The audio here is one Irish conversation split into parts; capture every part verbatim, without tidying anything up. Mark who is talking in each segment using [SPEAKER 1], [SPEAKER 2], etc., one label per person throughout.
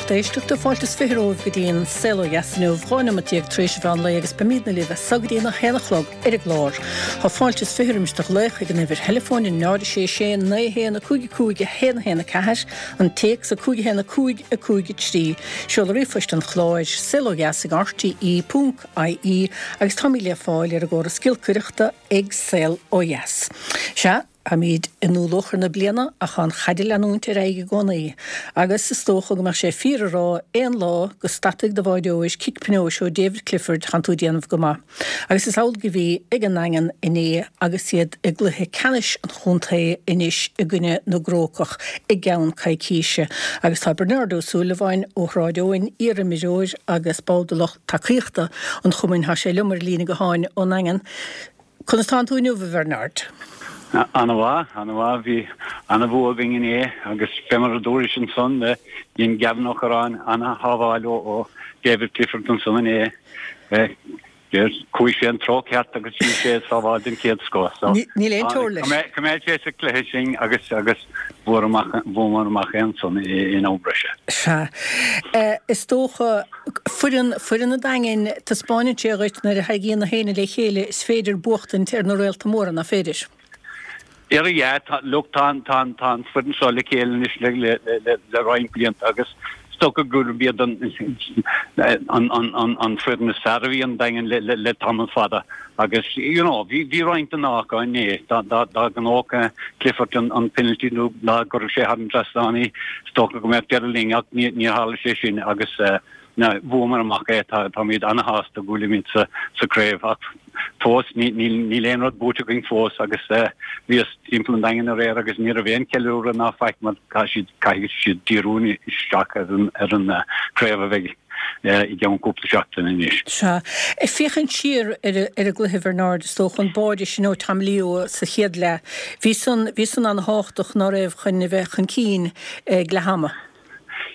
[SPEAKER 1] Lucht éisteachta fáilte is fiche romhaibh go dtí an Saol Ó Dheas inniu dhá nóiméad déag tar éis an mheán lae agus beimidne libh as so go dtí a haon a chlog ar an gclár. Tá fáilte is fiche roimis do ghlaoch ag an uimhir theileafóin a náid a sé sé naoi haon a cúig a cúig a haon a haon a ceathair, an téacs a cúig a haon a cúig a cúig a trí. Seoladh ríomhphoist an chláir saol ó dheas ag RTE ponc IE agus táimid le fáil ar an gcóras giolcaireachta ag Saol Ó Dheas. Sea, táimid i ndúluachar na bliana ach tá an chaid ag leanúint ar aghaidh i gcónaí, agus is dócha go mbeadh sé fíor a rá aon lá go stadfaidh do bháireoir cic pionóis ó David Clifford tánn tú ag déanamh go maith. Agus is amhlaidh a bhí ag an nDaingean inné agus iad i gcluiche ceannais an chontae anois i gcoinne na gCrócach i gceann coicíse. Agus tá Bernard Ó Súilleabháin ó Shráid Eoin, iarimreoir agus ball de lucht tacaíochta an chumainn, tá sé liom ar líne gutháin ón nDaingean. Conas tánn tú inniu, a Bhernard?
[SPEAKER 2] An-mhaith, an-mhaith, bhí an-bhua againn inné agus fé mar a dúrais ansan, dhein Gavin Ó Curráin an-shábháil ó David Clifford ansan inné. Chuaigh sé an treo ceart agus bhí sé sábháil den chéad scoth. So
[SPEAKER 1] Níl aon teora leis.
[SPEAKER 2] Choimeád sé sa cluiche sinn agus agus bhuamar amach é ansan in am breise.
[SPEAKER 1] Sea. Is dócha, foireann, foireann an Daingin, taispeánann sé dhuit nuair a thagann na héinne le chéile is féidir buachtaint ar na réalta móra, nach féidir?
[SPEAKER 2] Ara yeah, tá, look, tá an, tá an, tá an foireann seo le chéile anois le, le, le, le roinnt blianta agus is dócha gurb iad an, an, an, an, an foireann is fearr a bhí an Daingean le, le, le tamall fada agus, you know, bhí, bhí roinnt den ádh acu inné, dá, dá, dá ngnóthódh Clifford an, an penalty nó dá gcuirfeadh sé thar an trasnán í, is dócha go mbeadh deireadh linn ach ní, níor tharla sé sin agus, eh, na, bhuamar amach é, tá, táimid ana-shásta go bhfuilimid sa, sa craobh ach fós ní, níl, níl aon rud buaite againn fós agus eh, bhíos timpeall an Daingin aréir agus ní raibh aon ceiliúradh ná faic mar caithfidh siad, caithfidh siad díriú isteach ar an, ar an eh, craobh a bheidh eh, i gceann cúpla seachtain anois.
[SPEAKER 1] Sea. Ag féachaint siar ar, ar an gcluiche Bernard, is dócha an báide sin ó Tom Leo sa chéad leath. Bhí san, bhí san an-thábhachtach ná raibh chun a bheith chun cinn ag leath ama.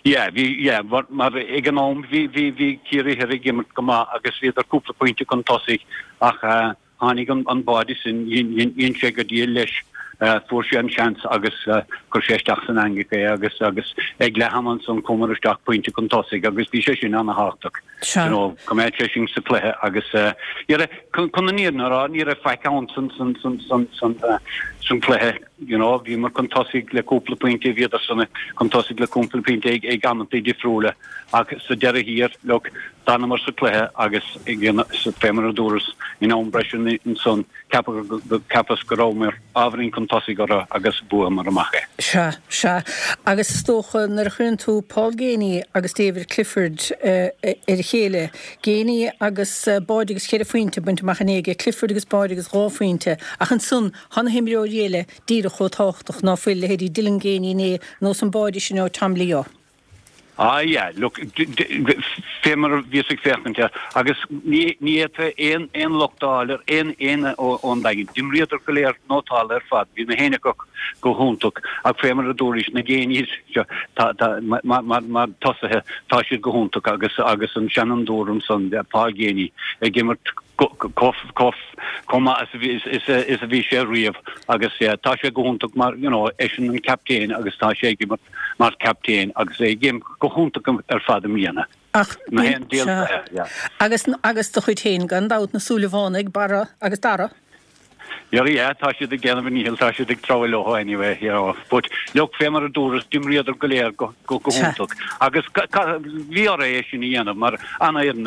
[SPEAKER 2] Yeah, bhí, yeah, mar, mar ag an am bhí, bhí, bhí Ciarraí Thoir ag imirt go maith agus bhíodar cúpla pointe chun tosaigh ach uh, tháinig an, an báide sin, dhein sé go diail leis, uh, fuair sé an seans agus uh, chuir sé isteach san eangach é agus agus ag leath ama ansan chuamar isteach pointe chun tosaigh agus bhí sé sin an-thábhachtach.
[SPEAKER 1] Sea.
[SPEAKER 2] You know, choimeád sé sin sa cluiche agus uh, chun chun an fhírinne a rá ní raibh faic ann san san san san san uh, san cluiche you know, bhíomar chun tosaigh le cúpla pointe bhíodar san chun tosaigh le cúpla pointe ag ag amanta difriúla ach sa deireadh thiar look d'fhanamar sa cluiche agus fé mar a dúras in am breise ansan ceapas go rabhamar ábhairín chun tosaigh orthu agus bhuamar amach é.
[SPEAKER 1] Sea, sea. Agus is dócha nuair a chuireann tú Paul Geaney agus David Clifford uh, ar a chéile, Geaney agus uh, báide agus ceithre phointe bainte amach inné aige, Clifford agus báide agus dhá phointe, ach ansan tá na himreoirí eile díreach chomh tábhachtach ná fuil leithéidí Dylan Geaney inné nó an báide sin ó Tom Leo.
[SPEAKER 2] Ah yeah, look, fé mar bhíos ag féachaint air agus ní ní fhéadfá aon aon locht a fháil ar aon aon ón Daingean. D'imríodar go léir nótáilte ar fad, bhí na héinne go go hiontach ach fé mar a dúrais na Geaneys tá tá mar mar mar tosaithe tá siad go hiontach agus agus an Shannon Durham san Paul Geaney ag imirt chomh maith is is is a bhí sé riamh agus yeah, tá sé go hiontach mar you know, eisean an captaen agus tá sé ag imirt mar captaen agus é ag imirt go hiontach ar fad i mbliana.
[SPEAKER 1] Ach
[SPEAKER 2] Na haon díol- yeah.
[SPEAKER 1] agus agus do chuid féin gan dabht na Súilleabhánaigh Barra agus Dara.
[SPEAKER 2] Yeah, yeah, tá siad ag déanamh níl tá siad ag treabhadh leo anyway, you know. But look fé mar a dúras d'imríodar go léir go go go hiontach. Agus bhí orthu é sin a dhéanamh mar an-fhoireann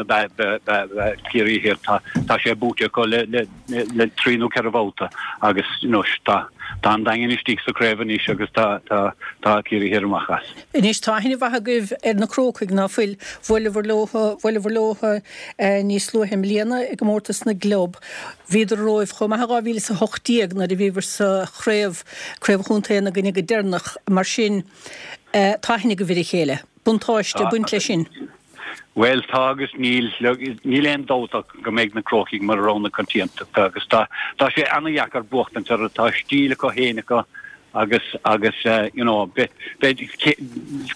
[SPEAKER 2] Ciarraí Thiar tá tá sé buaite acu le le le trí nó ceithre bhabhta agus you know, tá tá an Daingean istigh sa craobh anois agus tá tá tá Ciarraí Thiar amach as.
[SPEAKER 1] Anois tá aithne mhaith agaibh ar na Crócaigh ná fuil bhuaileabhar leo bhuaileabhar leo eh, níos luaithe i mbliana i gcomórtas na gclub. Bhíodar romhaibh chomh maith dhá mhíle is a hocht déag nuair a bhíobhair sa chraobh craobh chontae na gcoinne go deireanach mar sin eh, tá aithne agaibh ar a chéile. Buntáiste
[SPEAKER 2] Tá-
[SPEAKER 1] baint leis sin.
[SPEAKER 2] Well tá agus níl níl aon dabht go mbeidh na Crócaigh mar rogha na coitiantachta agus tá tá sé an-dheacair buachtaint orthu tá stíl acu féin acu agus agus uh, you know be be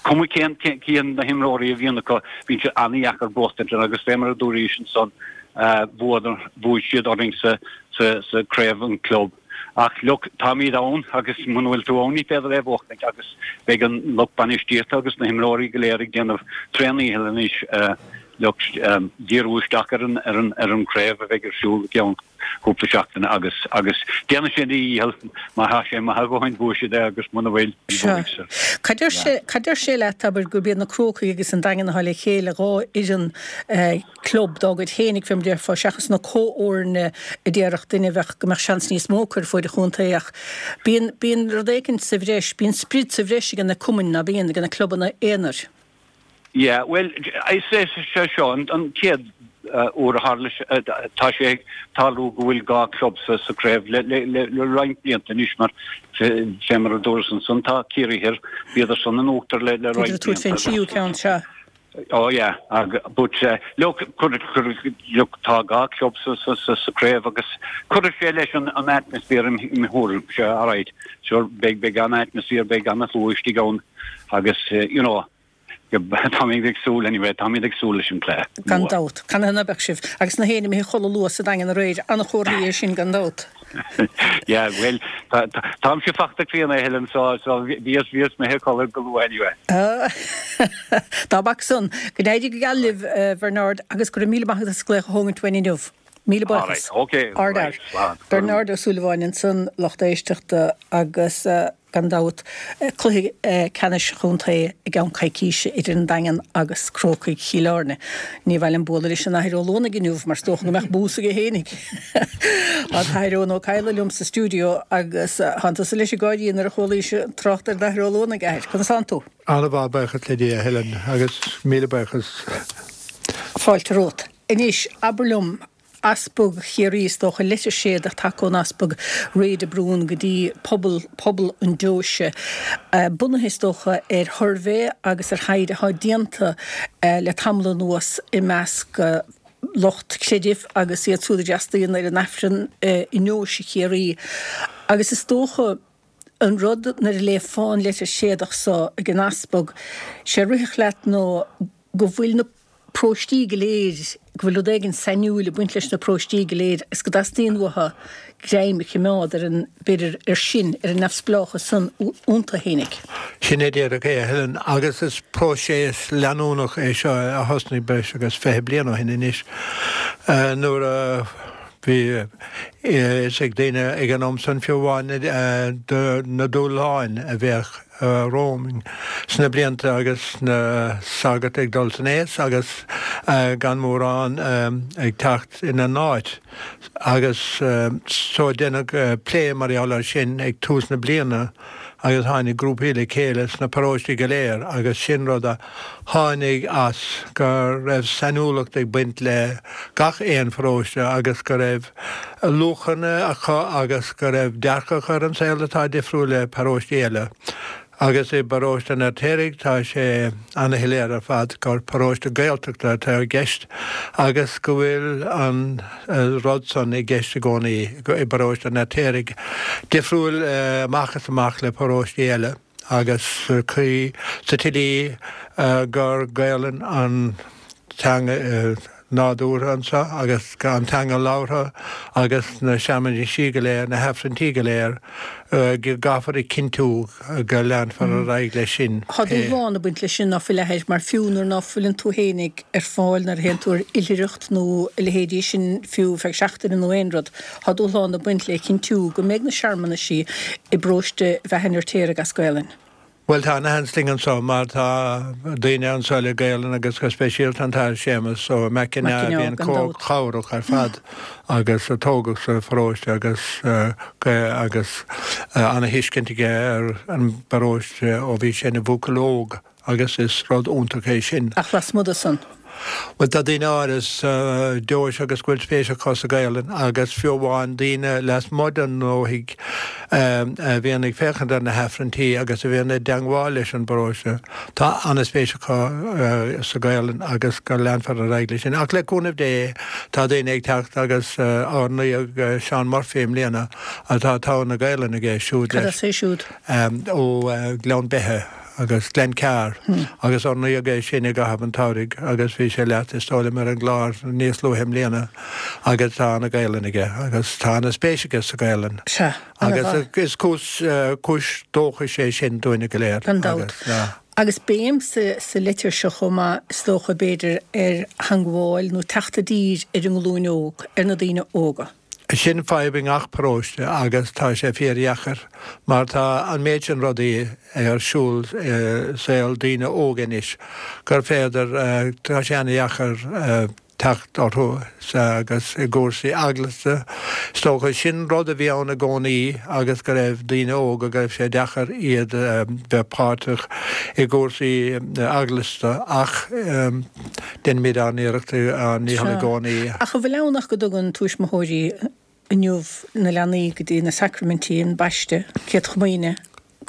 [SPEAKER 2] cuma cén cén na himreoirí a bhíonn acu bíonn sé an-dheacair buachtaint orthu agus fé mar a dúrais ansan uh, bhuadar bhuaigh siad orainn sa sa sa craobh an club Ach look, táimid ann agus muna bhfuil tú ann ní féidir é a bhuachtaint agus beidh an lucht bainistíochta agus na himreoirí go léir ag déanamh tréan-dhícheall anois look, díriú isteach ar an ar an ar an craobh a bheidh ar siúl i gceann cúpla seachtaine agus agus déanfaidh siad a dhícheall má tá sé maith a dhóthain buafaidh siad é agus muna bhfuil ní bhuafaidh siad.
[SPEAKER 1] Cad deir sé cad deir sé leat abair gurb iad na Crócaigh agus an Daingean atá le chéile dhá fhoireann club dá gcuid féinig fé mar déarfá seachas na comhfhoirne a déarfadh duine a bheadh go mbeadh seans níos mó acu ar fuaid an chontae ach bíonn bíonn rud éicint sa bhreis bíonn sprid sa bhreis ag na cumainn ná bíonn ag na clubanna aonair.
[SPEAKER 2] Yeah, bhuel, is é seo an an chéad uair a tharla tá sé ag tarlú go bhfuil dhá club sa sa craobh le le le le roinnt blianta anois mar fé mar a dúras ansan tá Ciarraí Thoir bhíodar san in uachtar le le roinnt
[SPEAKER 1] Bhíodar tabhairt fén tríú ceann seo.
[SPEAKER 2] Oh yeah, ag but uh, look, cur, cur, look, tá dhá club sa sa sa sa craobh agus cuirfidh sé leis an an atmaisféar i mo thuairim se alright. Sure beidh beidh an atmaisféar beidh an-slua istigh ann agus uh, you know Táimid ag súil anyway, táimid ag súil leis an cluiche.
[SPEAKER 1] Gan dabht. Canathaobh ná beadh sibh? Agus na héinne imithe a chodladh luath sa Daingean aréir, an-chomhartha é sin gan dabht.
[SPEAKER 2] Yeah, bhuel, táimse fachta críonna a Helen, so so bhíos bhíos imithe a chodladh go luath anyway.
[SPEAKER 1] Dá b'fhaca san. Go n-éirí go geal libh, Bernard, agus go raibh míle maith agat as glaoch a thógaint uainn inniu. Míle buíochas.
[SPEAKER 2] Alright, okay,
[SPEAKER 1] Ard
[SPEAKER 2] right, slán.
[SPEAKER 1] Bernard Ó Súilleabháin ansan, lucht éisteachta agus. Gan dabht, cluiche ceannais chontae i gceann coicíse idir an Daingean agus Crócaigh Chill Airne. Ní mhaith liom bualadh leis an Athair Ó Luanaigh inniu mar is dócha go mbeadh bús aige fhéinig. Tá an tAthair Eoin Ó Cadhla liom sa stiúideo agus thánn tusa leis ag gáirí nuair a chualaís trácht ar an Athair Ó Luanaigh, a Athair. Conas tánn tú?
[SPEAKER 3] An-mhaith, buíochas le Dia, a Helen, agus míle buíochas.
[SPEAKER 1] Fáilte romhat. Anois, abair liom, Easpag Chiarraí, is dócha, leitir séadach tagtha ón Easpag Ray de Brún go dtí pobal, pobal an deoise, bunaithe, is dócha, ar shuirbhé agus ar thaighde atá déanta le tamall anuas i measc lucht creidimh agus iad siúd a d'fhreastalaíonn ar an Aifreann i ndeoise Chiarraí. Agus is dócha, an rud nuair a léifeá an leitir séadach so ag an Easpag, sé a rithfeadh leat nó go bhfuil na. paróistí go léir, go bhfuil rud éigin sainiúil ag baint leis na paróistí go léir is go dteastaíonn uathu greim a choimeád ar an, b'fhéidir, ar sin, ar an neamhspleáchas san iontu fhéinig.
[SPEAKER 3] Sin é díreach é, a Helen, agus is próiseas leanúnach é seo a thosnaigh breis agus fiche bliain ó shin anois nuair a bhí a fhios ag daoine ag an am san fiú amháin na dúshláin a bheadh romhainn sna blianta agus na sagairt ag dul san aos agus gan mórán ag teacht ina n-áit agus so deineadh plé mar gheall air sin ag tús na bliana agus tháinig grúpaí le chéile sna paróistí go léir agus sin rud a tháinig as go raibh sainiúlacht ag baint le gach aon pharóiste agus go raibh luachanna acu agus go raibh dearcadh acu ar an saol atá difriúil le paróistí eile. Agus i bparóiste an Fheirtéaraigh tá sé ana-shoiléir ar fad gur paróiste Gaeltachta atá i gceist agus go bhfuil an rud san i gceist i gcónaí i bparóiste an Fheirtéaraigh, difriúil amach is amach le paróistí eile agus sa chaoi, sa tslí gur Gaelainn an teanga nádúrtha anseo agus an teanga labhartha agus na searmanaisí go léir, na hAifrinntí go léir, go gcaithfear a chinntiú go leanfar ar aghaidh leis sin.
[SPEAKER 1] Tá dúshlán ag baint leis sin, ná fuil, a Athair, mar fiú nuair ná fuileann tú fhéinig ar fáil nuair a théann tú ar oilithreacht nó a leithéidí sin fiú feadh seachtaine nó aon rud, tá dúshlán ag baint le cinntiú go mbeidh na searmanaisí i bparóiste Bheatha an Fheirtéaraigh as Gaelainn.
[SPEAKER 3] Bhuel, tá ana-sheans linn anseo mar tá daoine anseo le Gaelainn agus go speisialta an tAthair Séamus Ó McEneá a bhíonn chomh cabhrach ar fad agus a tógadh sa pharóiste agus agus ana-thuiscint aige ar an bparóiste ó bhí sé ina bhuachaill óg agus is rud iontach é sin.
[SPEAKER 1] Ach lasmuigh de san?
[SPEAKER 3] Bhuel, tá daoine áirithe sa deoise agus go bhfuil spéis acu sa Ghaelainn agus fiú amháin daoine lasmuigh den ndúthaigh a bhíonn ag féachaint ar na hAifrinntí agus a bhíonn i dteangmháil leis an bparóiste, tá an-spéis acu sa Ghaelainn agus go leanfar ar aghaidh leis sin. Ach le cúnamh Dé, tá daoine ag teacht agus ár n-aoi Seán Murphy i mbliana atá togha na Gaelainne aige siúd
[SPEAKER 1] leis. Cad as é siúd?
[SPEAKER 3] Ó Ghleann Beithe. agus Glencar agus ordaíodh é sin i gcaitheamh an tsamhraidh agus bhí sé leat is dóigh liom ar an gclár níos luaithe i mbliana agus tá ana Ghaelainn aige agus tá ana spéis aige sa Ghaelainn.
[SPEAKER 1] Sea,
[SPEAKER 3] Agus
[SPEAKER 1] ana-mhaith.
[SPEAKER 3] is cúis cúis dóchais é sin dúinne go léir.
[SPEAKER 1] Gan dabht.
[SPEAKER 3] Agus,
[SPEAKER 1] Agus béim sa, sa litir seo chomh maith is dócha b'fhéidir ar theangmháil nó teacht i dtír ar an nglúin óg, ar na daoine óga.
[SPEAKER 3] Sin fadhb i ngach paróiste agus tá sé fíordheacair mar tá an méid sin rudaí ar siúl i saol daoine óga anois gur féidir, tá sé an-dheacair teacht orthu agus i gcúrsaí eaglasta. Is dócha sin rud a bhí ann i gcónaí agus go raibh daoine óga go raibh sé deacair iad bheith páirteach i gcúrsaí eaglasta ach déanaimid ár n-iarracht ár ndícheall i gcónaí.
[SPEAKER 1] Ach an bhfuil ann ach go dtugann tuismitheoirí inniu na leanaí go dtí na sacraimintí, an baisteadh, Céad Chomaoine,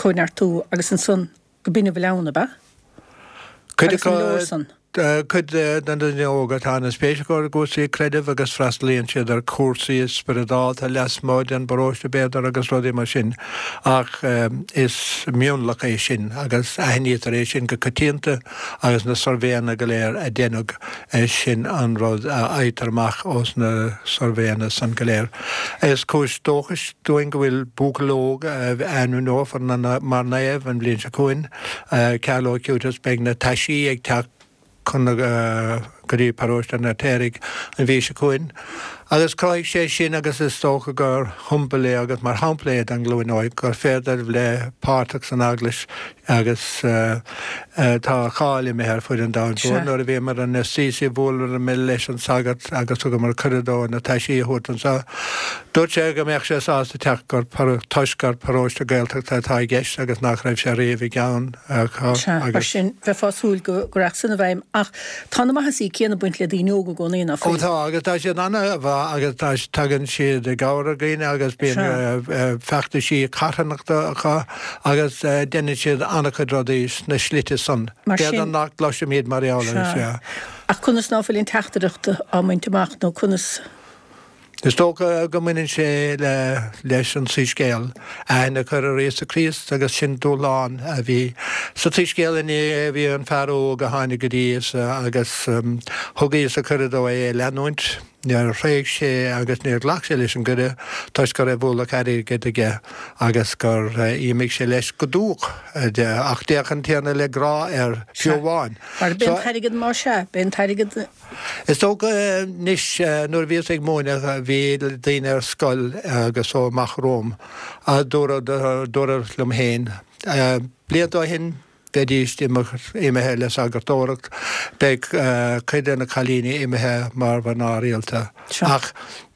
[SPEAKER 1] Cóineartú agus ansan go b'in a bhfuil ann, ab ea?
[SPEAKER 3] Cuid
[SPEAKER 1] Agus an
[SPEAKER 3] acu
[SPEAKER 1] leor san?
[SPEAKER 3] Cuid de na daoine óga tá ana-spéis acu i gcúrsaí creidimh agus freastalaíonn siad ar chúrsaí spioradálta lasmuigh den bparóiste b'fhéidir agus rudaí mar sin ach is mionlach é sin agus aithnítear é sin go coitianta agus na suirbhéanna go léir a deineadh sin an rud a fhaightear amach ós na suirbhéanna san go léir. Is cúis dóchais dúinn go bhfuil buachaill óg a ainmneofar mar naomh an bhliain seo chugainn, Carlo Acutis, beidh na taisí ag teacht chun na go dtí paróiste an Fheirtéaraigh an mhí seo chugainn. Agus chruthaigh sé sin agus is dócha gur shiombail é agus mar shampla é don ghlúin óig gur féidir bheith páirteach san Eaglais agus tá a cháil imithe ar fud an domhain mhóir. Nuair a bhíomar in Assisi bhuaileamar leis an sagart agus thugamar cuireadh dó na taisí a thabhairt anseo. Dúirt sé go mbeadh sé sásta teacht gur toisc gur paróiste Gaeltachta atá i gceist agus nach raibh sé riamh i gceann acu
[SPEAKER 1] Sea, mar
[SPEAKER 3] agus.
[SPEAKER 1] sin, bheifeá ag súil go rachadh san i bhfeidhm ach tá na maitheasaí céanna ag baint le daoine óga i gcónaí, ná
[SPEAKER 3] Ó
[SPEAKER 1] fuil?
[SPEAKER 3] tá, agus tá siad an-mhaith agus tá, tagann siad i gcabhair ar dhaoine agus bíonn
[SPEAKER 1] Sea.
[SPEAKER 3] feachtaisí carthanachta acu agus déanann siad an-chuid rudaí sna slite san.
[SPEAKER 1] Mar
[SPEAKER 3] B'fhéidir
[SPEAKER 1] sin.
[SPEAKER 3] nach gcloisimid mar gheall air,
[SPEAKER 1] Sea.
[SPEAKER 3] sea.
[SPEAKER 1] Ach conas ná fuil an teachtaireacht á mbaint amach nó conas.
[SPEAKER 3] Is dócha go mbaineann sé le leis an tSoiscéal, aithne a chur ar Íosa Críost agus sin dúshlán a bhí sa tSoiscéal inné, bhí an fear óg a tháinig go dtí Íosa agus thug Íosa cuireadh dó é a leanúint. Níor thréig sé agus níor ghlac sé leis an gcuireadh toisc go raibh ualach airgid aige agus gur imigh sé leis go dúch. Ach d'fhéach an Tiarna le grá air fiú amháin.
[SPEAKER 1] Mar b'é an t-airgead más ea, b'é an t-airgead.
[SPEAKER 3] Is dócha anois nuair a bhíos ag múineadh bhí daoine ar scoil agus ó amach romham a dúradh dúradh liom féin blianta ó shin bheidís imithe le sagartóireacht, beidh cuid de na cailíní imithe mar mhná rialta. Ach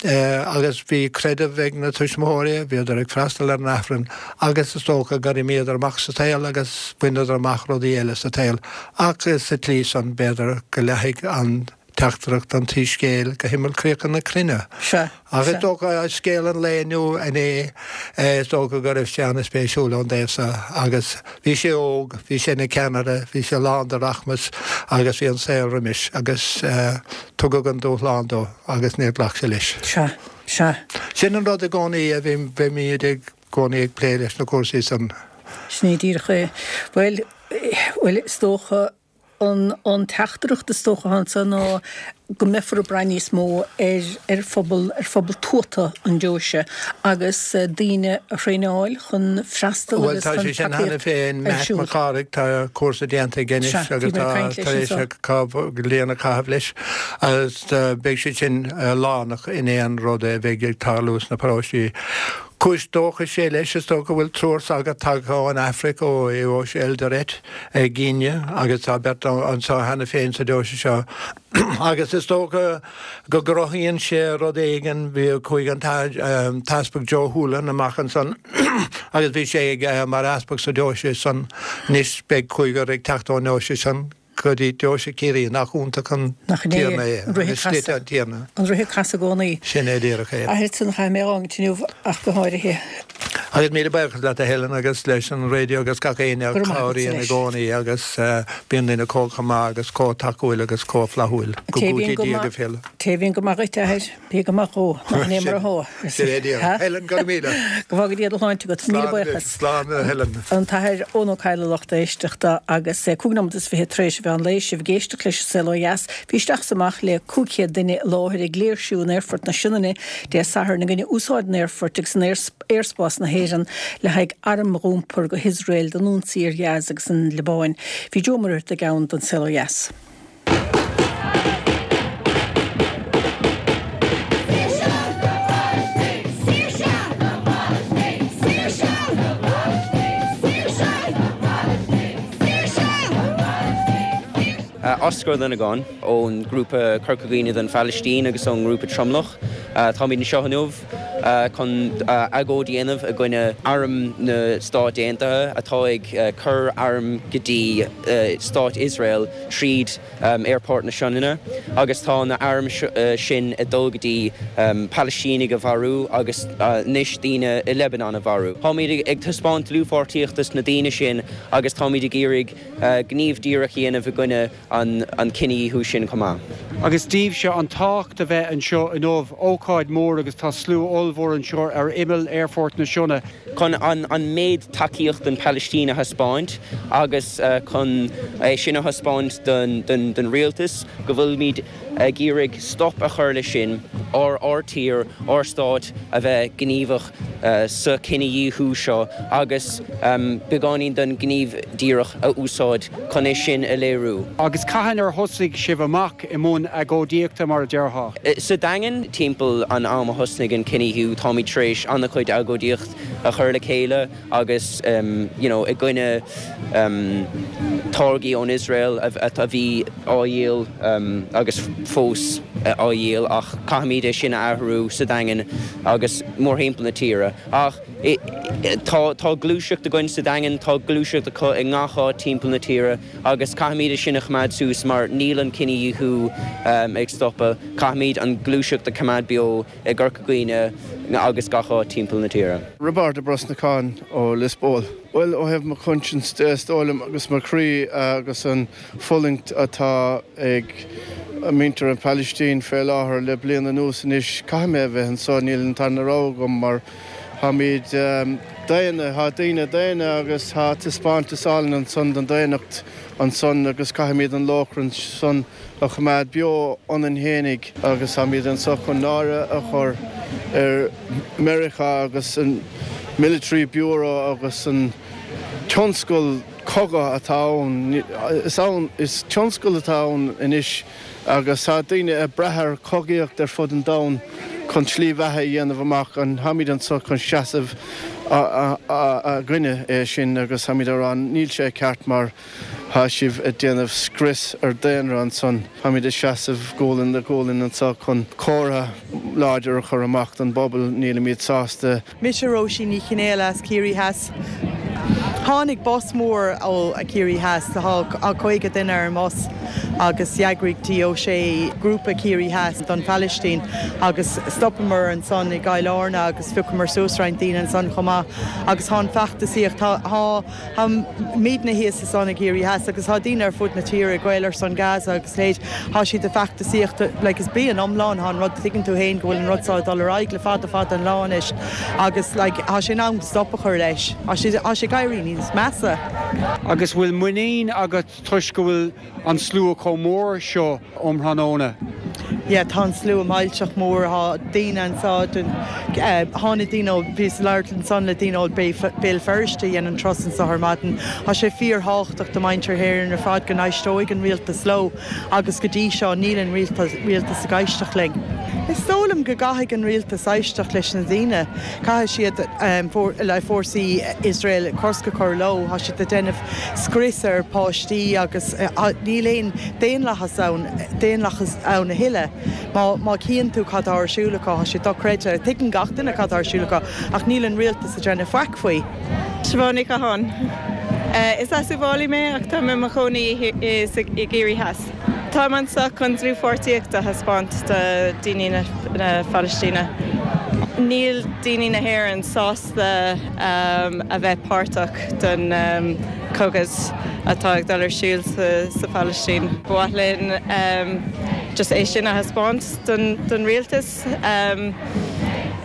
[SPEAKER 3] agus bhí creideamh ag na tuismitheoirí, bhíodar ag freastal ar an Aifreann agus is dócha gur imíodar amach sa tsaol agus bhaineadar amach rudaí eile sa tsaol ach sa tslí san b'fhéidir go leathfaidh an teachtaireacht an tSoiscéil go himeall críocha na cruinne.
[SPEAKER 1] Sea,
[SPEAKER 3] Ach is
[SPEAKER 1] sea.
[SPEAKER 3] dócha scéal an lae inniu inné, is dócha go raibh sé an-spéisiúil ón dtaobh so agus bhí sé óg, bhí sé ina cheannaire, bhí sé lán de rachmas agus bhí an saol roimis agus tugadh an dúshlán dó agus níor ghlac sé leis.
[SPEAKER 1] Sea, sea.
[SPEAKER 3] Sin an rud i gcónaí a bhí, bheimid i gcónaí ag plé leis na cúrsaí san.
[SPEAKER 1] Sin é díreach é. Bhuel, bhuel, is dócha an, an teachtaireacht is dócha anso ná go mbeifear ag brath níos mó ar, ar phobal, ar phobal tuata an deoise agus daoine a thraenáil chun freastal
[SPEAKER 3] Bhuel
[SPEAKER 1] agus
[SPEAKER 3] tá
[SPEAKER 1] chun
[SPEAKER 3] sé sin cheana
[SPEAKER 1] tacaíocht
[SPEAKER 3] féin,
[SPEAKER 1] ar
[SPEAKER 3] Matt
[SPEAKER 1] siúl.
[SPEAKER 3] Mac Cárthaigh, tá cúrsa déanta aige anois
[SPEAKER 1] Sea,
[SPEAKER 3] agus
[SPEAKER 1] bhí mé
[SPEAKER 3] tá
[SPEAKER 1] ag caint leis
[SPEAKER 3] tar éis
[SPEAKER 1] anso.
[SPEAKER 3] a bliain a chaitheamh leis agus beidh sé sin lárnach in aon rud a bheidh ag tarlú sna paróistí. Cúis dóchais é leis, is dócha go bhfuil triúr sagart tagtha ón Afraic, ó dheoise Eldoret i gCéinia agus tá beirt anseo cheana féin sa deoise seo agus is dócha go gcruthaíonn sé rud éigin, bhí chuaigh an tEaspag Joe Holohan amach ansan agus bhí sé ag mar easpag sa deoise san, anois beidh cúigear ag teacht ón ndeoise san. go dtí Deoise Chiarraí, nach iontach an
[SPEAKER 1] Nach in é
[SPEAKER 3] Tiarna é,
[SPEAKER 1] an rith
[SPEAKER 3] agus slite
[SPEAKER 1] ag casadh.
[SPEAKER 3] an Tiarna.
[SPEAKER 1] An rith ag casadh i gcónaí.
[SPEAKER 3] Sin é díreach é.
[SPEAKER 1] Athair san chaith mé dhá inniu ach go háirithe.
[SPEAKER 3] Agus míle buíochas leat a Helen agus leis an raidió agus gach éinne a chabhraíonn i gcónaí agus bíonn daoine chomh chomh maith agus chomh tacúil agus chomh flaithiúil go gcúití Dia go féile.
[SPEAKER 1] Té bhíonn go maith dhuit a athair, bí go maith dhó, nach in é mar a thó.
[SPEAKER 3] Helen go raibh míle.
[SPEAKER 1] Go bhfága Dia do shláinte agat, míle buíochas.
[SPEAKER 3] Slán a Helen.
[SPEAKER 1] An tAthair Eoin Ó Cadhla lucht éisteachta agus cúig nóiméad is fiche tar éis a mheán lae, sibh ag éisteacht leis an Saol Ó Dheas. Bhí isteach is amach le cúig chéad duine i láthair ag léirsiú in Aerfort na Sionainne Dé Sathairn i gcoinne úsáid an aerfoirt agus an aerspás na hÉireann le haghaidh airm a iompar go hIosrael don ionsaí ar Ghaza agus an Liobáin. Bhí Joe Ó Muircheartaigh ann don Saol Ó Dheas.
[SPEAKER 4] Oscar Ó Longáin ón grúpa Corca Dhuibhne don Phalaistín agus ón ngrúpa Tromlach. Táimid anseo inniu chun agóid a dhéanamh i gcoinne arm na Stát Aontaithe atá ag cur arm go dtí Stát Iosrael tríd Aerfort na Sionainne agus tá na airm sin ag dul go dtí Palaistínigh a mharú agus anois daoine i Lebanon a mharú. Táimid ag taispeáint dlúthpháirtíocht dos na daoine sin agus táimid ag iarraidh gníomh díreach a dhéanamh i gcoinne an cinedhíothú sin chomh maith.
[SPEAKER 5] Agus daoibhse an tábhacht a bheith anseo inniu, ócáid mhór agus tá slua ollmhór anseo ar imeall Aerfort na Sionainne.
[SPEAKER 4] Chun an méid tacaíocht don Phalaistín a thaispeáint agus chun é sin a thaispeáint don rialtas go bhfuilimid ag iarraidh stop a chur leis sin, ár ár tír, ár stát a bheith gníomhach sa chinedhíothú seo agus beagáinín den ghníomh díreach a úsáid chun é sin a léiriú.
[SPEAKER 5] Agus cathain ar thosaigh sibh amach i mbun agóidíochta mar a déarfá?
[SPEAKER 4] Sa Daingean, timpeall an am a thosnaigh an cinedhíothú, táimid tar éis an-chuid agóidíocht a chur le chéile agus you know i gcoinne táirgí ón Iosrael a bhí á dhíol agus fós á dhíol ach caithfimid é sin a athrú sa Daingean agus mórthimpeall na tíre. Ach tá tá gluaiseacht againn sa Daingean, tá gluaiseacht acu i ngach áit timpeall na tíre agus caithfimid é sin a choimeád suas mar níl an cinedhíothú ag stopadh. Caithfimid an gluaiseacht a choimeád beo i gCorca Dhuibhne agus gach áit timpeall na tíre.
[SPEAKER 6] Roibeárd Ó Brosnacháin ó Lios Póil. Bhuel, ó thaobh mo chonscience de, is dóigh liom, agus mo chroí agus an fulaingt atá ag muintir an Phalaistín fé láthair le bliain anuas anois, caithfidh mé a bheith anseo, níl an tarna rogha agam mar táimid daonna, tá daoine daonna agus tá taispeántas álainn ansan den daonnacht ansan agus caithfimid an lóchrann san a choimeád beo ionainn fhéinig agus táimid anso chun náire a chur ar Meiriceá agus an Military Bureau agus an tionscal cogaidh atá ann. Is ann, is tionscal atá ann anois agus tá daoine ag brath ar chogaíocht ar fud an domhain chun slí bheatha a dhéanamh amach. An táimid anso chun seasamh i gcoinne é sin agus táimid ag rá níl sé ceart mar tá sibh ag déanamh scrios ar daonra ansan. Táimid ag seasamh gualainn le gualainn anso chun comhartha láidir a chur amach don bpobal, nílimid sásta.
[SPEAKER 7] Mise Róisín Ní Chionnaola as Ciarraí Theas. Tháinig bus mór ó Ciarraí Theas, tá caoga duine ar an mbus agus d'eagraigh T O'Shea grúpa Ciarraí Theas don Phalaistín agus stopamar ansan i gCill Airne agus phiocamar suas roinnt daoine ansan chomh maith agus tá an feachtasaíocht, tá, tá, tá muidne thíos ansan i gCiarraí Theas agus tá daoine ar fud na tíre, Gael ar son Gaza agus leithéid, tá siad ag feachtasaíocht like is bliain iomlán tá an rud, tuigeann tú fhéin go bhfuil an rud seo ag dul ar aghaidh le fada fada an lá anois agus like tá sé in am stop a chur leis. Tá sé, tá sé ag éirí níos measa.
[SPEAKER 5] Agus bhfuil muinín agat toisc go bhfuil an slua chomh mór seo um thráthnóna?
[SPEAKER 7] Yeah, tá an slua millteach mór, tá daoine anseo, tháinig daoine ó, bhíos ag labhairt ansan le daoine ó Béal Feirste a dhein an turas anseo ar maidin. Tá sé fíorthábhachtach do mhuintir hÉireann ar fad go n-éisteoidh an rialtas leo agus go dtí seo níl an rialtas ag éisteacht linn. Is dóigh liom go gcaithfidh an rialtas éisteacht leis na daoine. Caithfidh siad le fórsaí Iosrael cosc a chur leo. Tá siad ag déanamh scrios ar pháistí agus níl aon daonlathas ann, daonlathas ann a thuilleadh. Má, má chíonn tú cad tá ar siúl acu, tá sé dochreidte. Tuigeann gach duine cad tá ar siúl acu ach níl an rialtas ag déanamh faic faoi.
[SPEAKER 8] Siobhán Ní Chatháin. Is as Uíbh Fhailí mé ach tá mé i mo chónaí i gCiarraí Theas. Táim anseo chun dlúthpháirtíocht a thaispeáint do daoine na Palaistíne. Níl daoine na hÉireann sásta um, a bheith páirteach den um, cogadh atá ag dul ar siúl sa, sa Phalaistín. Ba mhaith linn um, just é sin a thaispeáint don, don rialtas. Um,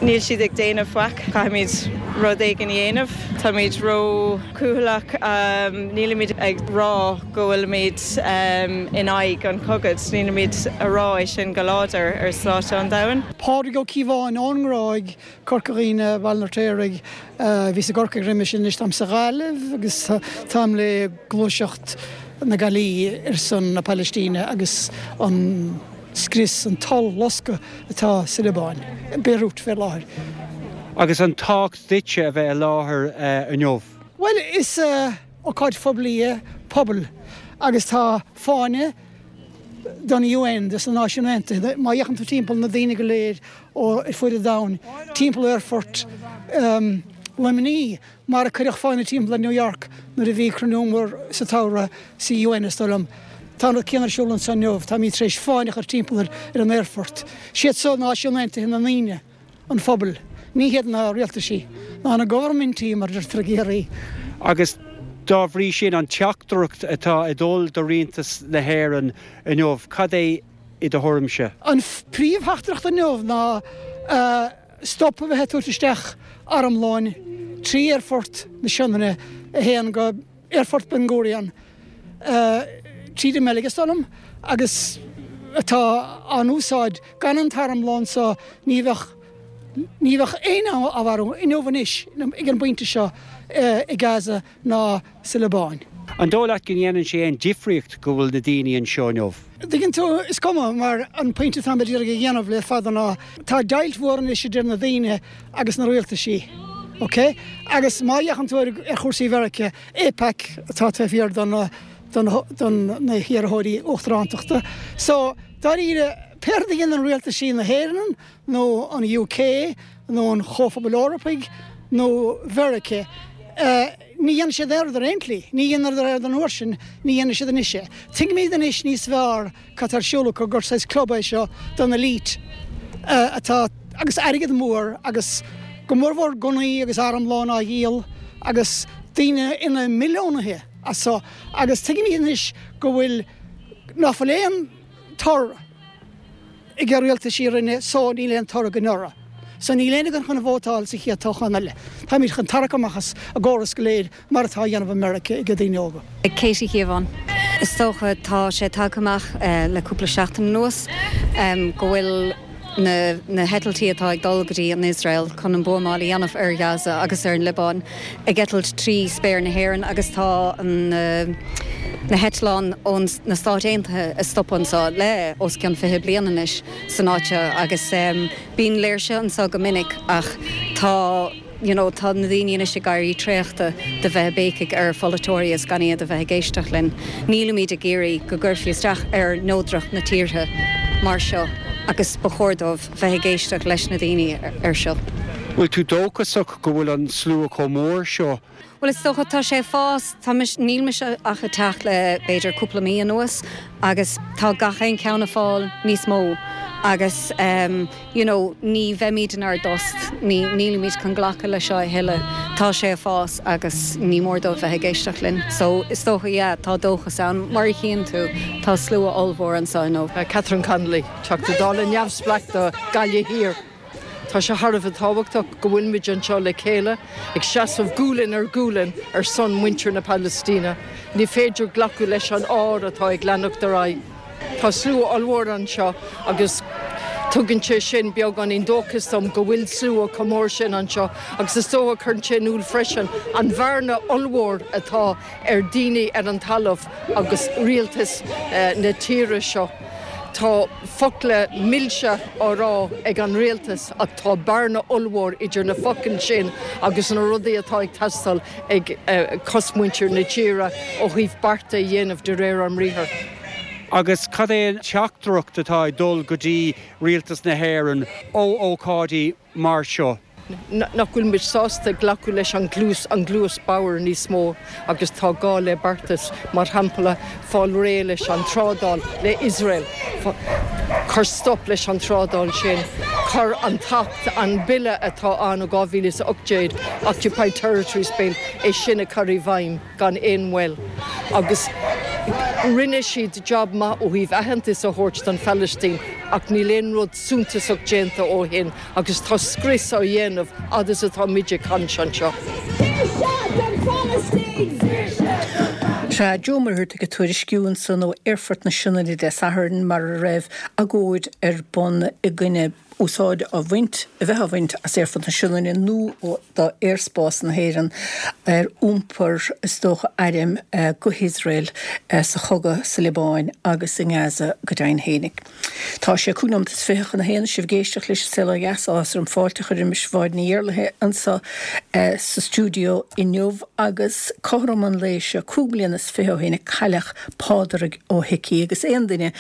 [SPEAKER 8] Níl siad ag déanamh faic caithfimid rud éigin a dhéanamh. Táimid ró-chúthaileach um, nílimid ag rá go bhfuilimid um, in aghaidh an chogaidh, nílimid ag rá é sin go láidir ar shláinte an domhain.
[SPEAKER 9] Pádraig Ó Cíobháin ón nGráig Corca Dhuibhne Baile an Fheirtéaraigh bhíos i gCorcaigh roimhe sin anois táim sa Ghaillimh agus táim le gluaiseacht na Gaillimhe ar son na Palaistíne agus an scrios an t-ollloscadh atá sa Liobáin, Beirut fé láthair.
[SPEAKER 5] Agus an tábhacht duitse a bheith i láthair uh, inniu.
[SPEAKER 9] Well is uh, ócáid phoiblí é pobal agus tá fáinne don UN dus na Náisiúin Aontaithe má fhéachann tú timpeall na daoine go léir ó ar fud an domhain timpeall aerfort um, Luimnigh mar a cuireadh fáinne timpeall New York nuair a bhí cruinniú mór sa samhradh sa UN is dóigh liom. Tá an céanna ar siúl anseo inniu, Táimid tar éis fáinne a chur timpeall ar an aerfort. Siad seo Náisiúin Aontaithe na ndaoine an phobal, ní hiad na rialtaisí ná na governmentí mar deirtear i gCiarraí.
[SPEAKER 5] Agus dá bhrí sin an teachtaireacht atá ag dul do rialtas na hÉireann inniu, cad é i do thuairimse.
[SPEAKER 9] An príomhtheachtaireacht inniu ná uh, stop a bheith ag tabhairt isteach armlóin trí aerfort na Sionainne a théann go aerfort Ben Gurion. Uh, tríd an mBeilg is dóigh liom agus atá á úsáid gan an t-armlón so ní bheadh ní bheadh aon á mharú inniu anois ag an bpointe seo i Gaza ná sa Liobáin.
[SPEAKER 5] An dóigh leat go ndéanann sé aon difríocht go bhfuil na daoine anseo inniu.
[SPEAKER 9] Tuigeann tú is cuma mar an pointe atá ag dhéanamh le fada ná tá deighilt mhór anois idir na daoine agus na rialtaisí. Ok? Agus má fhéachann tú ar chúrsaí Mheiriceá AIPAC atá taobh thiar don don na hiarrthóirí uachtarántachta. So dáiríre pé rud a dhéanann rialtaisí na hÉireann nó an UK nó an Chomhphobal Eorpaigh nó Mheiriceá. Uh, ní dhéanann siad aon rud ar aon tslí, ní dhéanann ar an uair sin, ní dhéanann siad anois é. Tuigimid anois níos fearr cad tá ar siúl acu gur saghas club é seo don elite uh, atá agus airgead mór agus go mórmhór gunnaí agus armlón á dhíol agus daoine ina milliúnaithe as so agus tuigimid anois go bhfuil nach bhfuil aon toradh ag an rialtaisí rinne so níl aon toradh anuraidh. So níl aon chun chun vótáil sa chéad toghchán eile. Táimid chun tarrac amach as an gcóras go léir mar atá á dhéanamh i Meiriceá ag daoine óga.
[SPEAKER 10] Katie Cíobháin. Is dócha tá sé tagtha amach uh, le cúpla seachtain anuas um, go bhfuil na, na heitiltí atá ag dul go dtí an Israel chun an buamáil a dhéanamh ar Gaza agus ar an Liobáin ag eitilt trí spéir na hÉireann agus tá an uh, na heitleáin ón na Stáit Aontaithe ag stopadh anseo le os cionn fiche bliain anois san áit agus um, bíonn léirse anseo go minic ach tá you know, tá na daoine anois ag éirí traochta de bheith béicigh ar pholaiteoirí is gan iad a bheith ag éisteacht linn. Nílimid ag iarraidh go gcuirfí isteach ar neodracht na tíortha mar seo agus ba chóir dóibh bheith ag éisteacht leis na daoine ar seo.
[SPEAKER 5] Bhfuil tú dóchasach go bhfuil an slua chomh mór seo
[SPEAKER 10] Well is dócha tá sé ag fás níl mise ach ag teacht le b'fhéidir cúpla mí anuas agus tá gach aon cheann ag fáil níos mó agus um, you know, ní bheimid inár dtost ní nílimid chun glacadh le seo a thuilleadh tá sé ag fás agus ní mór dóibh bheith ag éisteacht linn. So is dócha yeah, tá dóchas ann mar a chíonn tú tá slua ollmhór anseo inniu.
[SPEAKER 11] Uh, Catherine Connolly, Teachta Dála neamhspleách do Ghaillimh Thiar. Tá sé thar a bheith tábhachtach go bhfuilimid anseo le chéile ag seasamh gualainn ar ghualainn ar son muintir na Palaistíne. Ní féidir glacadh leis an ár atá ag leanacht ar aghaidh. Tá slua ollmhór anseo agus tugann sé sin beagáinín dóchas dom go bhfuil slua chomh mór sin anseo agus is dócha cuireann sé in iúl freisin an bhearna ollmhór atá ar daoine ar an talamh agus rialtas eh, na tíre seo. Tá focla milse á rá ag an rialtas ach tá bearna ollmhór idir na focail sin agus na rudaí atá ag teastáil ag uh, cosmuintir na tíre ó thaobh bearta a dhéanamh de réir an mbriathar.
[SPEAKER 5] Agus cad é an teachtaireacht atá ag dul go dtí rialtas na hÉireann ó ócáidí mar seo.
[SPEAKER 11] nach bhfuil muid sásta glacadh leis an gcluas an gcluas bodhar níos mó agus tá gá le beartas mar shampla fáil réidh leis an trádáil le Iosrael, cur stop leis an trádáil sin, cur an tAcht, an bille atá ann ó dhá mhíle is a ocht déag, Occupied Territories Bill, é sin a chur i bhfeidhm gan aon mhoill agus rinne siad job maith ó thaobh aitheantas a thabhairt don Phalaistín ach níl aon rud suntasach déanta ó shin agus tá scrios á dhéanamh fhad is atá muid ag caint anseo.
[SPEAKER 1] Saoirse don Phalaistín! Sea, Joe Ó Muircheartaigh ag tuairisciú ansan ó Aerfort na Sionainne Dé Sathairn mar a raibh agóid ar bun i gcoinne úsáid á bhaint, a bheith á bhaint as Aerfort na Sionainne nó ó d'aerspás na hÉireann ar iompar, is dócha, airm go hIosrael sa chogadh sa Liobáin agus i nGaza go deimhin fhéinig. Tá sé cúig nóiméad is fiche chun a haon, sibh ag éisteacht leis an Saol Ó Dheas, áthas orm fáilte a chur roimis Mháire Ní Iarlaithe anseo sa stiúideo inniu agus cothrom an lae seo cúig bliana is fiche ó shin a cailleadh Pádraig Ó hIcí agus aon duine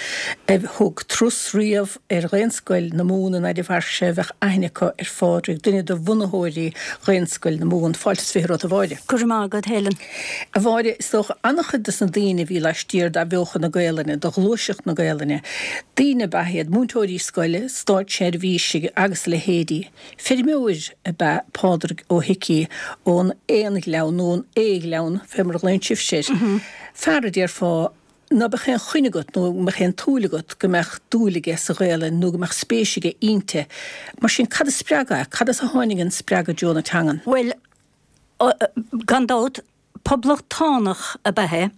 [SPEAKER 1] a thug turas riamh ar Ghaelscoil na Mumhan in Airdhibhearse bheadh aithne acu ar Phádraig, duine de bhunaitheoirí Ghaelscoil na Mumhan. Fáilte is fiche romhat a Mháire.
[SPEAKER 12] Go raibh maith agat Helen.
[SPEAKER 1] A Mháire, is dócha an-chuid de na daoine a bhí laistiar d'athbheochan na Gaelainne, de ghluaiseacht na Gaelainne, daoine ab ea iad, múinteoirí scoile, státseirbhísigh agus a leithéidí. Feirmeoir ab ea Pádraig Ó hIcí ón Aonghleann nó ón Aoghleann, fé mar a ghlaonn sibhse air. Fear a déarfá ná beadh aon choinne agat nó mbeadh aon tsúil agat go mbeadh dúil aige sa Ghaelainn nó go mbeadh spéis aige inti. Mar sin, cad a spreag é? Cad as a tháinig an spreagadh i dtreo na teangan?
[SPEAKER 12] Bhuel, gan dabht, poblachtánach ab ea é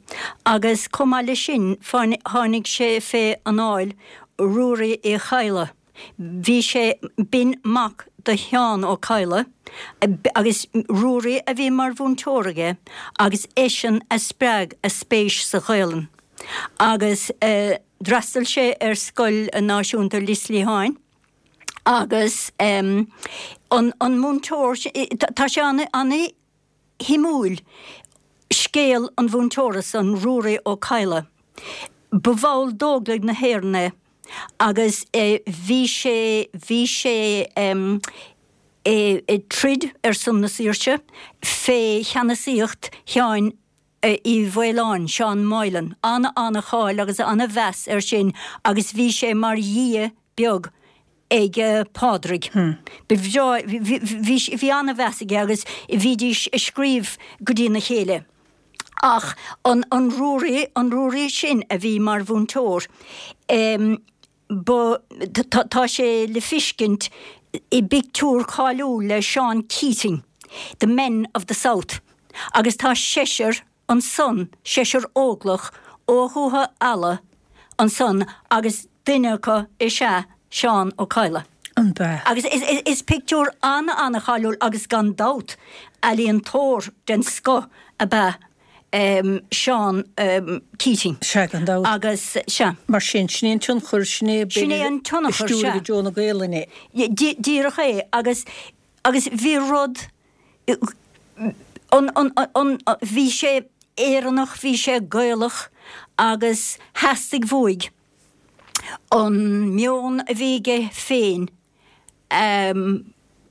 [SPEAKER 12] agus chomh maith leis sin tháinig sé fé anáil Ruairí Uí Chadhla. Bhí sé, b'in mac do Sheán Ó Cadhla agus Ruairí a bhí mar mhúinteoir aige agus eisean a spreag a spéis sa Ghaelainn agus d'fhreastail sé ar Scoil Náisiúnta Lios Liatháin agus an múinteoir, tá sé an-shuimiúil scéal an mhúinteora san, Ruairí Ó Cadhla. Ba bhall d'Óglaigh na hÉireann é agus bhí sé, bhí sé ag troid ar son na saoirse fé cheannasaíocht Sheáin Uí Mhaoláin, Seán Moylan. Ana-ana-cháil agus ana-mheas air sin agus bhí sé mar dhia beag ag Pádraig. Ba bhreá, bhí, bhí ana-mheas aige agus bhídís ag scríobh go dtína chéile. Ach an, an Ruairí, an Ruairí sin a bhí mar mhúinteoir, ba, tá, tá sé le feiscint i bpictiúr cáiliúil le Seán Keating, The Men of the South, agus tá seisear ansan, seisear óglach ó Dhúiche Ealla ansan agus duine acu is ea Seán Ó Cadhla.
[SPEAKER 1] An b'ea?
[SPEAKER 12] Agus is pictiúr an-an-cháiliúil agus gan dabht ealaíontóir den scoth ab ea Seán Keating.
[SPEAKER 1] Sea, gan dabht.
[SPEAKER 12] Agus, sea.
[SPEAKER 1] Mar sin, sin é an tionchar, sin é,
[SPEAKER 12] Sin é
[SPEAKER 1] b'fhéidir,
[SPEAKER 12] an
[SPEAKER 1] a
[SPEAKER 12] tionchar,
[SPEAKER 1] stiúraigh
[SPEAKER 12] sea.
[SPEAKER 1] i dtreo na Gaelainne.
[SPEAKER 12] Díreach é. Agus, agus bhí rud, an, an, an, bhí sé Éireannach, bhí sé Gaelach agus theastaigh uaidh an meon a bhí aige féin a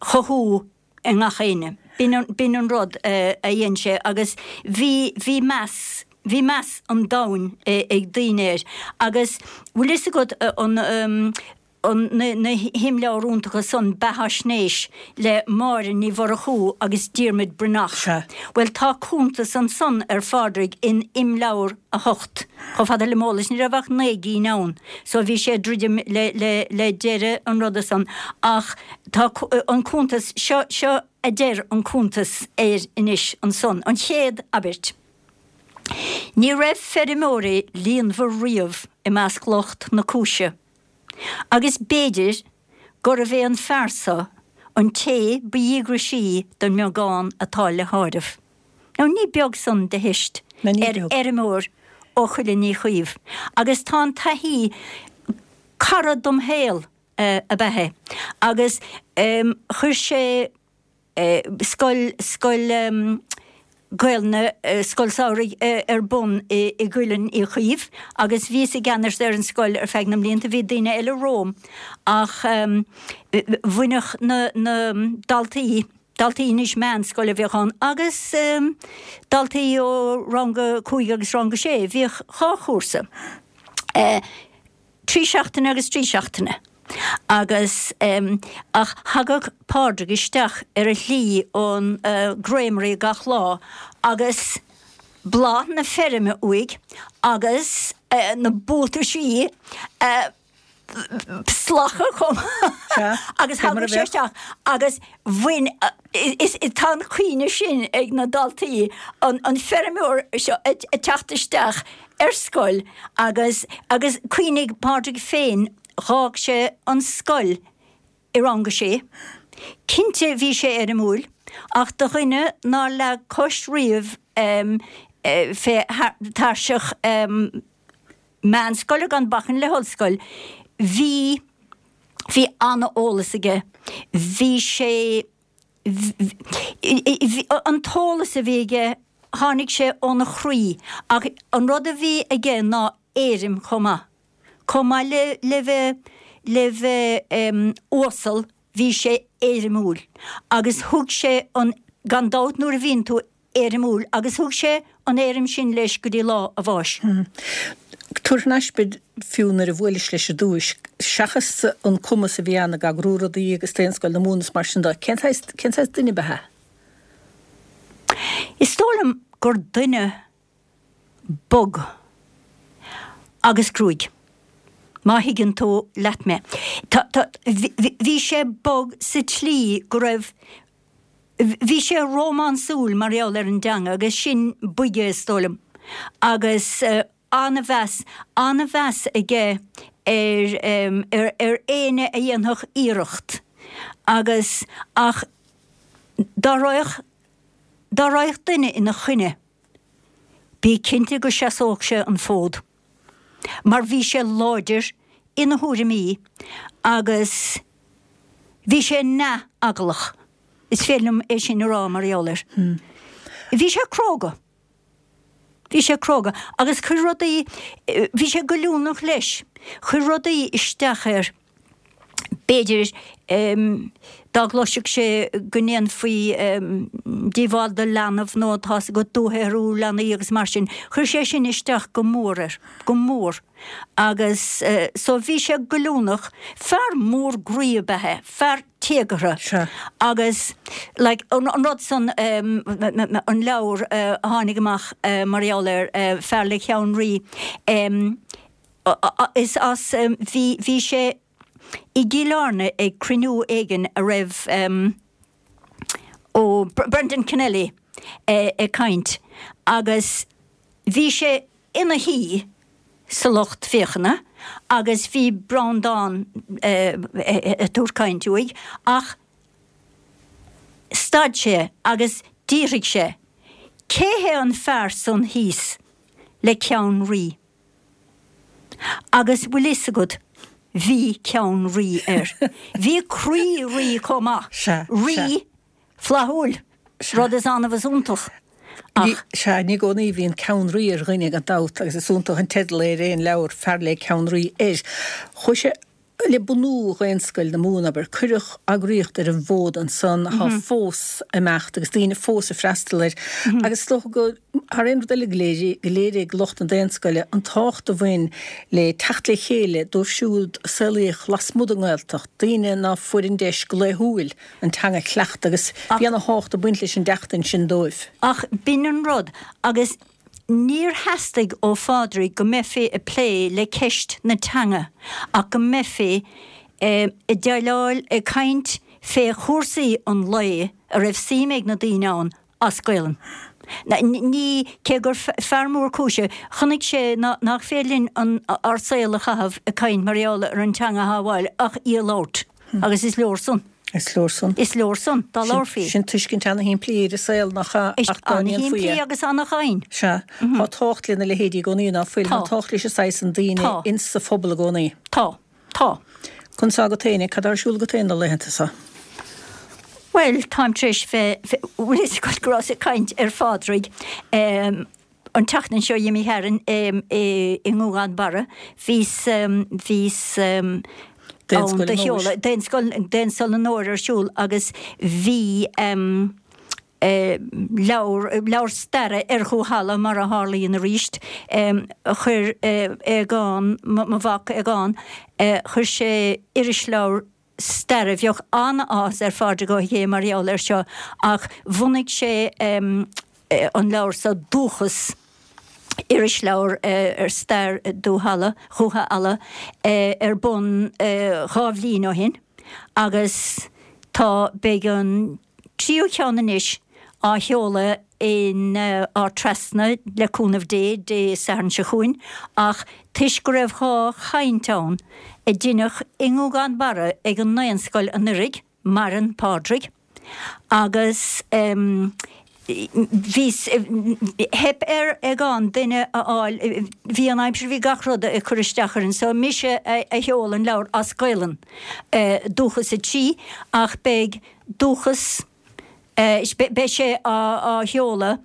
[SPEAKER 12] chothú i ngach éinne. B'in an, b'in an rud a dhein sé agus bhí, bhí meas, bhí meas an domhain ag daoine air agus bhfuil fhios agat an, an, na, na himleabhair iontacha san, beathaisnéis le Máire Ní Mhurchú agus Diarmuid Breathnach.
[SPEAKER 1] Sea.
[SPEAKER 12] Bhuel tá cuntas ansan ar Phádraig in imleabhar a hocht. Chomh fada le m'eolas ní raibh ach naoi gcinn ann so bhí sé ag druidim le, le, le deireadh an ruda san ach tá an cuntas, seo, seo a deir an cuntas air anois ansan, an chéad abairt. Ní raibh feirmeoirí líonmhar riamh i measc lucht na cúise agus b'fhéidir gurbh é an fear so an té ba dhíograisí den mbeagán atá le háireamh. Now ní beag san de theist
[SPEAKER 1] Ná ní
[SPEAKER 12] ar
[SPEAKER 1] beag.
[SPEAKER 12] fheirmeoir ó Choillín Uí Chaoimh agus tá an taithí cara dom shaol ab ea é agus chuir sé scoil, scoil Gaelainne, scoil samhraidh ar bun i gCuileann Uí Chaoimh agus bhíos i gceannas ar an scoil ar feadh na mblianta, bhí daoine eile romham ach bhaineadh na daltaí, daltaí anois meánscoile a bhíodh ann agus daltaí ó rang a cúig agus rang a sé, bhíodh dhá chúrsa. Trí seachtaine agus trí seachtaine. Agus, ach thagadh Pádraig isteach ar a shlí ón gcreamery gach lá agus bláth na feirme uaidh agus na buataisí slactha chomh maith agus thagadh sé isteach agus bhain, is, tá an chuimhne sin ag na daltaí, an feirmeoir seo ag teacht isteach ar scoil agus, agus cuimhnigh Pádraig féin, dh'fhág sé an scoil i rang a sé. Cinnte bhí sé éirimiúil, ach do dhuine nár leag cois riamh fé thairseach meánscoile gan bacainn le hollscoil, bhí, bhí an-eolas aige. Bhí sé, an t-eolas a bhí aige, tháinig sé óna chroí, ach an rud a bhí aige ná éirim chomh maith. Chomh maith le le bheith le bheith uasal bhí sé éirimiúil agus thug sé an, gan dabht nuair a bhíonn tú éirimiúil, agus thug sé an éirim sin leis go dtí lá a bháis.
[SPEAKER 1] Tabhair thar n-ais muid fiú nuair a bhuailis leis ar dtúis, seachas an cumas a bhí ann ag eagrú rudaí agus Daonscoil na Mumhan is mar sin de, cén saghas, cén saghas duine ba ea?
[SPEAKER 12] Is dóigh liom gur duine bog agus gruaig, má thuigeann tú leat mé. Tá, tá, bhí sé bog sa tslí go raibh, bhí sé rómánsúil mar gheall ar an dteanga agus sin boige is dóigh liom. Agus an-mheas, an-mheas aige ar, ar, ar éinne a dhéanfadh iarracht agus, ach dá raghadh, dá raghadh duine ina choinne, bí cinnte go seasódh sé an fód, mar bhí sé láidir ina thuairimí agus bhí sé neamheaglach, is féidir liom é sin a rá mar gheall air. Bhí sé cróga. Bhí sé cróga agus chuir rudaí, bhí sé goilliúnach leis, chuir rudaí isteach air. B'fhéidir dá gcloisfeadh sé go ndéanfaí díobháil do leanbh nó tá's agat dúshaothrú leanaí agus mar sin, chuir sé sin isteach go mór air, go mór. Agus so bhí sé goilliúnach, fear mór groí ab ea é, fear téagartha. Agus like an rud san, an leabhar a tháinig amach mar gheall air, Fear le Ceann Rí, is as, bhí, bhí sé, i gCill Airne ag cruinniú éigin a raibh ó Brendan Kennelly ag caint agus bhí sé ina shuí sa lucht féachana agus bhí Breandán ag tabhairt caint uaidh ach stad sé agus d'fhiafraigh sé cé hé an fear san thíos le ceann rí? Agus bhfuil fhios agat, bhí ceann rí air. Bhí croí rí chomh maith.
[SPEAKER 1] Sea, sea.
[SPEAKER 12] Rí flaithiúil, rud is annamh is iontach. Ach.
[SPEAKER 1] Sea, ní i gcónaí a bhíonn ceann rí ar dhuine, gan dabht, agus is iontach an teideal é ar aon leabhar, Fear le Ceann Rí air. Chuaigh sé le bunú Dhaonscoil na Mumhan, abair, cuireadh eagraíocht ar an bhfód ansan atá fós ag imeacht agus daoine fós ag freastal air. Agus is dócha go, thar aon rud eile, go léirigh, go léirigh lucht na Daonscoile an tábhacht a bhain le teacht le chéile dóibh siúd a saolaíodh lasmuigh den nGaeltacht, daoine ná fuair an deis go laethúil an teanga a chleachtadh agus bhí ana thábhacht ag baint leis an dteacht ansin dóibh.
[SPEAKER 12] Ach b'in an rud, agus Níor theastaigh ó Phádraig go mbeifí ag plé le ceist na teanga ach go mbeifí ag déileáil, ag caint fé chúrsaí an lae a raibh suim ag na daoine ann as Gaelainn. Ní, cé gur fear mór cúise, chonaic sé nach féidir linn ár saol a chaitheamh ag caint mar gheall ar an teanga a shábháil ach í a labhairt agus is leor san.
[SPEAKER 1] Is leor san.
[SPEAKER 12] Is leor san, dá labharfaí.
[SPEAKER 1] Sin tuiscint ana-shimplí ar an saol, nach ea? Ach dá ndéanfaí é.
[SPEAKER 12] Ana-shimplí agus ana-dhoimhin.
[SPEAKER 1] Sea. Tá tábhacht lena leithéidí i gcónaí, ná fuil? Tá tábhacht leis an saghas san daoine ins sa phobal i gcónaí.
[SPEAKER 12] Tá. Tá.
[SPEAKER 1] Conas tá agat féin é? Cad tá ar siúl agat féin na laethanta seo?
[SPEAKER 12] Bhuel, táim tar éis bheith, bhfuil fhios agat go rabhas ag caint ar Phádraig an tseachtain seo d'imigh tharainn i nGúgán Barra, bhíos, bhíos ann do sheoladh Daonscoil, Daonscoil na nÓr ar siúl agus bhí leabhar, leabhar staire ar Dhúthaile mar a tharlaíonn arís, chuir Aogán, mo mhac Aogán, chuir sé irisleabhar staire. Bheadh an-áthas ar Phádraig Ó hÉith mar gheall air seo ach bhunaigh sé an leabhar seo Dúchas, irisleabhar ar stair Dúthaile, Dhúiche Ealla, ar bun dhá bhliain ó shin agus tá, beidh an tríú ceann anois á sheoladh in Ard Trasna, le cúnamh Dé, Dé Sathairn seo chugainn, ach toisc go raibh dhá chaint ann a deineadh i nGúgán Barra ag an nDaonscoil anuiridh, maireann Pádraig, agus bhí, theip ar Aogán duine a fháil, bhí an aimsir, bhí gach rud ag cur isteach orainn, so mise a sheol an leabhar as Gaolainn, Dúchas a Trí, ach beidh Dúchas. Beidh sé á sheoladh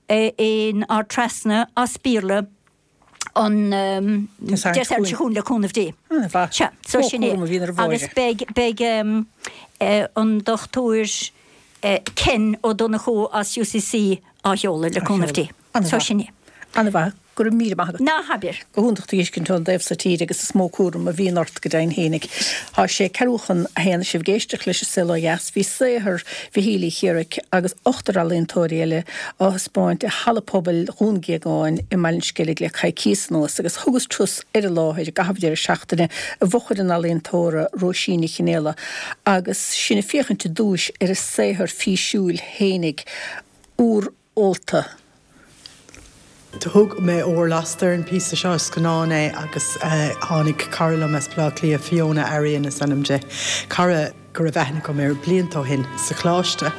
[SPEAKER 12] in Ard Trasna as Béarla an Dé Sathairn seo chugainn le cúnamh Dé. Sea, so sin é. Agus beidh beidh an Dochtúir Ken Ó Donnchú as UCC á sheoladh le cúnamh Dé. So sin é.
[SPEAKER 1] An-mhaith. Go raibh míle maith agat.
[SPEAKER 12] Ná habair.
[SPEAKER 1] Go hiontach tú a fheiscint ón dtaobh so tíre agus is mó cúram a bhíonn ort go deimhin fhéinig. Tá sé ceathrú chun a haon sibh ag éisteacht leis an Saol Ó Dheas. Bhí saothar Mhichíl Uí Chiaraic agus ochtar ealaíontóirí eile á thaispeáint i Halla Pobail Dhún Géagáin i mBaile an Sceilg le coicíos anuas agus thugas turas ar an láthair i gcaitheamh deireadh seachtaine i bhfochair an ealaíontóra Róisín Ní Chionnaola agus sinn ag féachaint i dtúis ar a saothar físiúil fhéinig, Úr Ólta.
[SPEAKER 7] Thug mé Ór Lasta ar an phíosa seo, is scannán é agus tháinig cara liom as Baile Átha Cliath, Fiona Arian is ainm di, cara go raibh aithne agam air blianta ó shin sa choláiste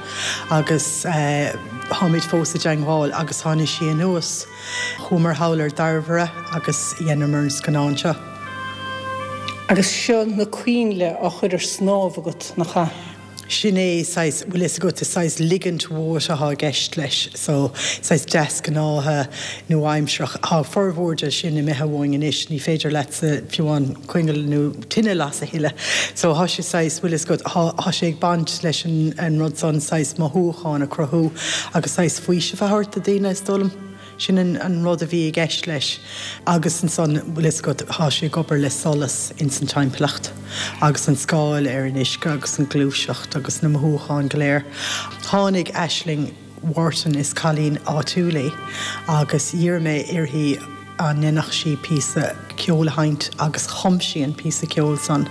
[SPEAKER 7] agus táimid fós i dteangmháil agus tháinig sí anuas. Chuamar thall ar Dairbhre agus dheineamar an scannán seo.
[SPEAKER 1] Agus seo na coinnle á chur ar snámh agat, nach ea?
[SPEAKER 7] Sin é saghas, bhfuil fhios agat, is saghas ligint uait atá i gceist leis, so saghas deasghnátha nua-aimsearach. Tá formhór de sin imithe uainn anois, ní féidir leatsa fiú amháin coinneal nó tine a lasadh a thuilleadh. So tá sé saghas, bhfuil fhios agat, tá sé ag baint leis an rud san saghas mothúchán a chruthú agus saghas faoiseamh a thabhairt do daoine, is dóigh liom. Sin an rud a bhí i gceist leis. Agus ansan, bhfuil fhios agat, thá sé ag obair le solas ins an timpeallacht agus an scáil ar an uisce agus an gluaiseacht agus na mothúcháin go léir. Tháinig Aisling Wharton, is cailín áitiúil í, agus d'iarr mé uirthi an ndéanfadh sí píosa ceoil a sheinnt agus chum sí an píosa ceoil san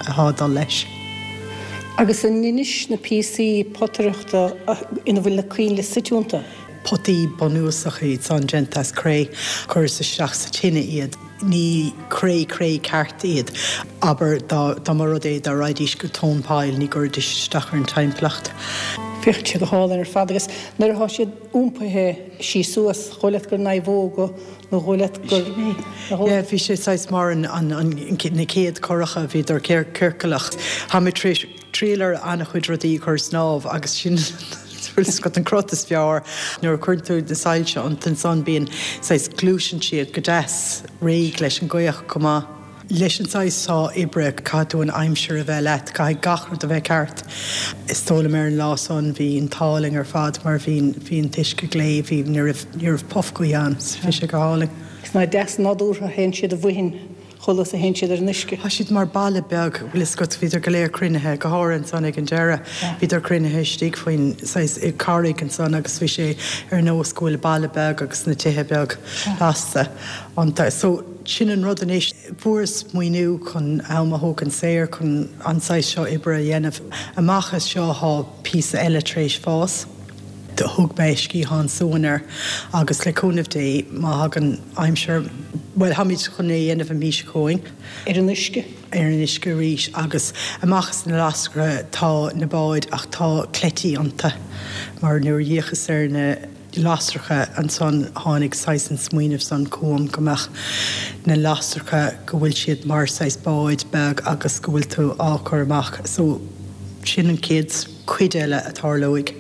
[SPEAKER 7] athá ag dul leis.
[SPEAKER 1] Agus an inis na píosaí potaireachta ina bhfuil na coinnle suite iontu?
[SPEAKER 7] Potaí bunúsacha iad san, déanta as cré. Chuireas isteach sa tine iad. Ní cré cré ceart iad. Abair, dá dá mba rud é dá raghaidís go tóin poill, ní gcuirfidís isteach ar an timpeallacht.
[SPEAKER 1] Féachann siad go hálainn ar fad agus nuair atá siad iompaithe síos suas, dhóigh leat gur naomhóga nó dhóigh leat gur.
[SPEAKER 7] Yeah, bhí sé saghas mar an an an na chéad curacha, bhíodar ciorclach. Tá mé tar éis. triail ar an-chuid rudaí a chur ar snámh agus sin bhfuil fhios agat an crot is fearr. Nuair a chuireann tú na soilse iontu ansan bíonn saghas gluaiseann siad go deas réidh leis an gaoth chomh maith. Leis an saghas seo oibre caithfidh tú an aimsir a bheith leat, caithfidh gach rud a bheith ceart. Is dóigh liom ar an lá san bhí an t-ádh linn ar fad mar bhí bhí an t-uisce glé, bhí ní raibh ní raibh puth gaoithe ann so bhí sé go hálainn.
[SPEAKER 1] Is nach deas nádúrtha a théann siad i bhfuighin chomh luath is a théann siad ar an uisce.
[SPEAKER 7] Tá siad mar baile beag, bhfuil fhios agat, bhíodar go léir cruinnithe, go háirithe ansan ag an deireadh, bhíodar cruinnithe istigh faoin saghas carraig ansan agus bhí sé ar nós go bhfuil baile beag agus na tithe beag lasta iontu. So, sin an rud anois, fuaireas maoiniú chun am a thógaint saor chun an saghas seo oibre a dhéanamh. Amach as seo thá píosa eile tar éis fás. Thug mé Sciathán Suain air agus le cúnamh Dé má thagann aimsir, bhuel, táimid chun é a dhéanamh an mhí seo chugainn.
[SPEAKER 1] Ar an uisce?
[SPEAKER 7] Ar an uisce arís agus amach as na lasracha tá na báid ach tá cleití iontu mar nuair a d'fhéachas ar na lasracha ansan tháinig saghas an smaoineamh san chugam go mbeadh na lasracha go bhfuil siad mar saghas báid beag agus go bhfuil tú á chur amach so sin an chéad cuid eile a tarlóidh.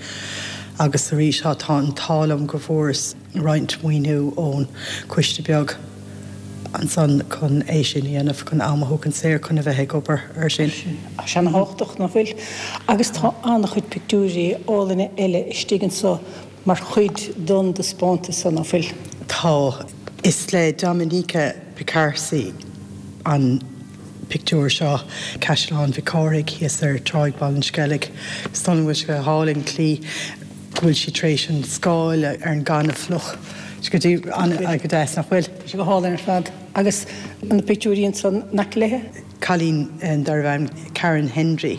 [SPEAKER 7] Agus arís tá an t-ádh liom go bhfuaireas roinnt maoiniú ón coiste beag ansan chun é sin a dhéanamh, chun am a thógaint saor chun a bheith ag obair ar sin.
[SPEAKER 1] Tá sé ana-thábhachtach, nach bhfuil? Agus tá an-chuid pictiúirí álainne eile istigh anso mar chuid don dtaispeántas so, nach bhfuil?
[SPEAKER 7] Tá. Is le Dominika Piekarski an pictiúr seo, Caisleán Mhic Cárthaigh thíos ar Tráigh Bhaile an Sceilg. Is dóigh liom go bhfuil sé go hálainn an tslí go bhfuil sí tar éis an scáil ar an gaineamh fliuch. Go dtí go deas, nach bhfuil?
[SPEAKER 1] Tá sé go hálainn ar fad. Agus na pictiúirí ansan in aice léi?
[SPEAKER 7] Cailín darbh ainm Karen Hendry.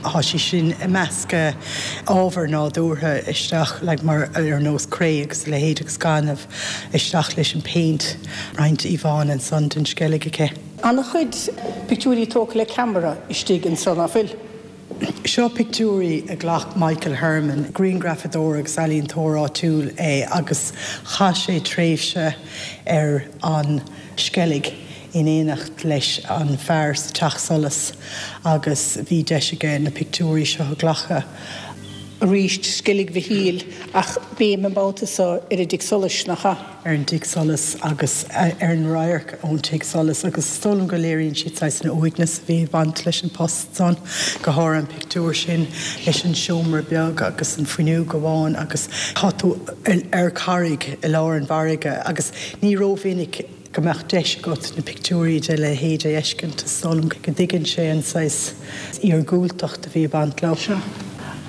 [SPEAKER 7] Tá sí sin ag meascadh ábhar nádúrtha isteach like mar ar nós cré agus a leithéid agus gaineamh isteach leis an péint. Roinnt íomhánna ansan den Sceilg aici.
[SPEAKER 1] An-chuid pictiúirí tógtha le ceamara istigh ansan, nach bhfuil?
[SPEAKER 7] Seo pictiúirí a ghlac Michael Herman, grianghrafadóir agus ealaíontóir áitiúil é agus chaith sé tréimhse ar an Sceilg in éineacht leis an fear sa teach solais agus bhí deis aige na pictiúirí seo a ghlacadh.
[SPEAKER 1] Arís Sceilg Mhichíl ach béim an babhta seo ar an dtigh solais, nach ea?
[SPEAKER 7] Ar an dtigh solais agus ar an radharc ón tigh solais agus is dóigh liom go léiríonn siad saghas an uaigneas a bhí ag baint leis an post san, go háirithe an pictiúr sin leis an seomra beag agus an fuinneog amháin agus tá tú ar charraig i lár an bhfarraige agus ní rómhinic go mbeadh deis agat na pictiúirí de leithéid a fheiscint, is dóigh liom go dtuigeann sé an saghas iargúltacht a bhí ag baint leo.
[SPEAKER 1] Seo.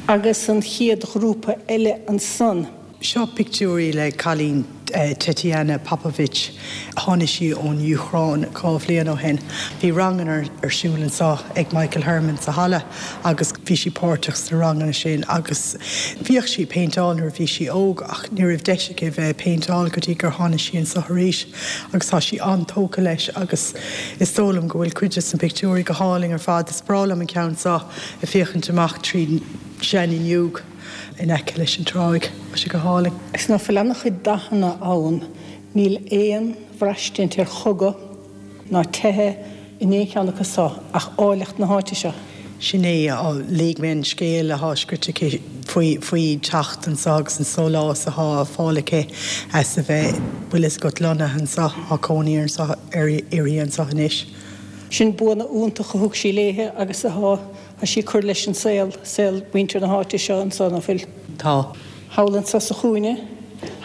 [SPEAKER 1] Agus an chéad ghrúpa eile ansan.
[SPEAKER 7] Seo pictiúirí le cailín Tetiana Popovich. Tháinig sí ón Úcráin dhá bhliain ó shin. Bhí ranganna ar siúl anseo ag Michael Herman sa halla agus bhí sí páirteach sna ranganna sin agus bhíodh sí ag péinteáil nuair a bhí sí óg ach ní raibh deis aici bheith ag péinteáil go dtí gur tháinig sí anseo arís agus tá sí an-tógtha leis agus is dóigh liom go bhfuil cuid de na pictiúirí go hálainn ar fad. Is breá liom an ceann seo ag féachaint amach tríd seanfhuinneog in aice leis an tráigh. Tá sé go hálainn.
[SPEAKER 1] Is ná fuil an-chuid dathanna ann, níl aon bhraistint ar chogadh ná teitheadh in aon cheann acu seo ach áilleacht na háite seo.
[SPEAKER 7] Sin é, léigh mé an scéal atá scríte aici faoi faoi teacht anseo agus an sólás atá á fáil aici as a bheith, bhfuil fhios agat, lonnaithe anseo, tá cónaí anseo uirthi anseo anois.
[SPEAKER 1] Sin buanna iontacha a thug sí léithe agus atá Tá sí ag cur leis an saol, saol mhuintir na háite seo anso, ná fuil?
[SPEAKER 7] Tá.
[SPEAKER 1] Thall anso sa chúinne,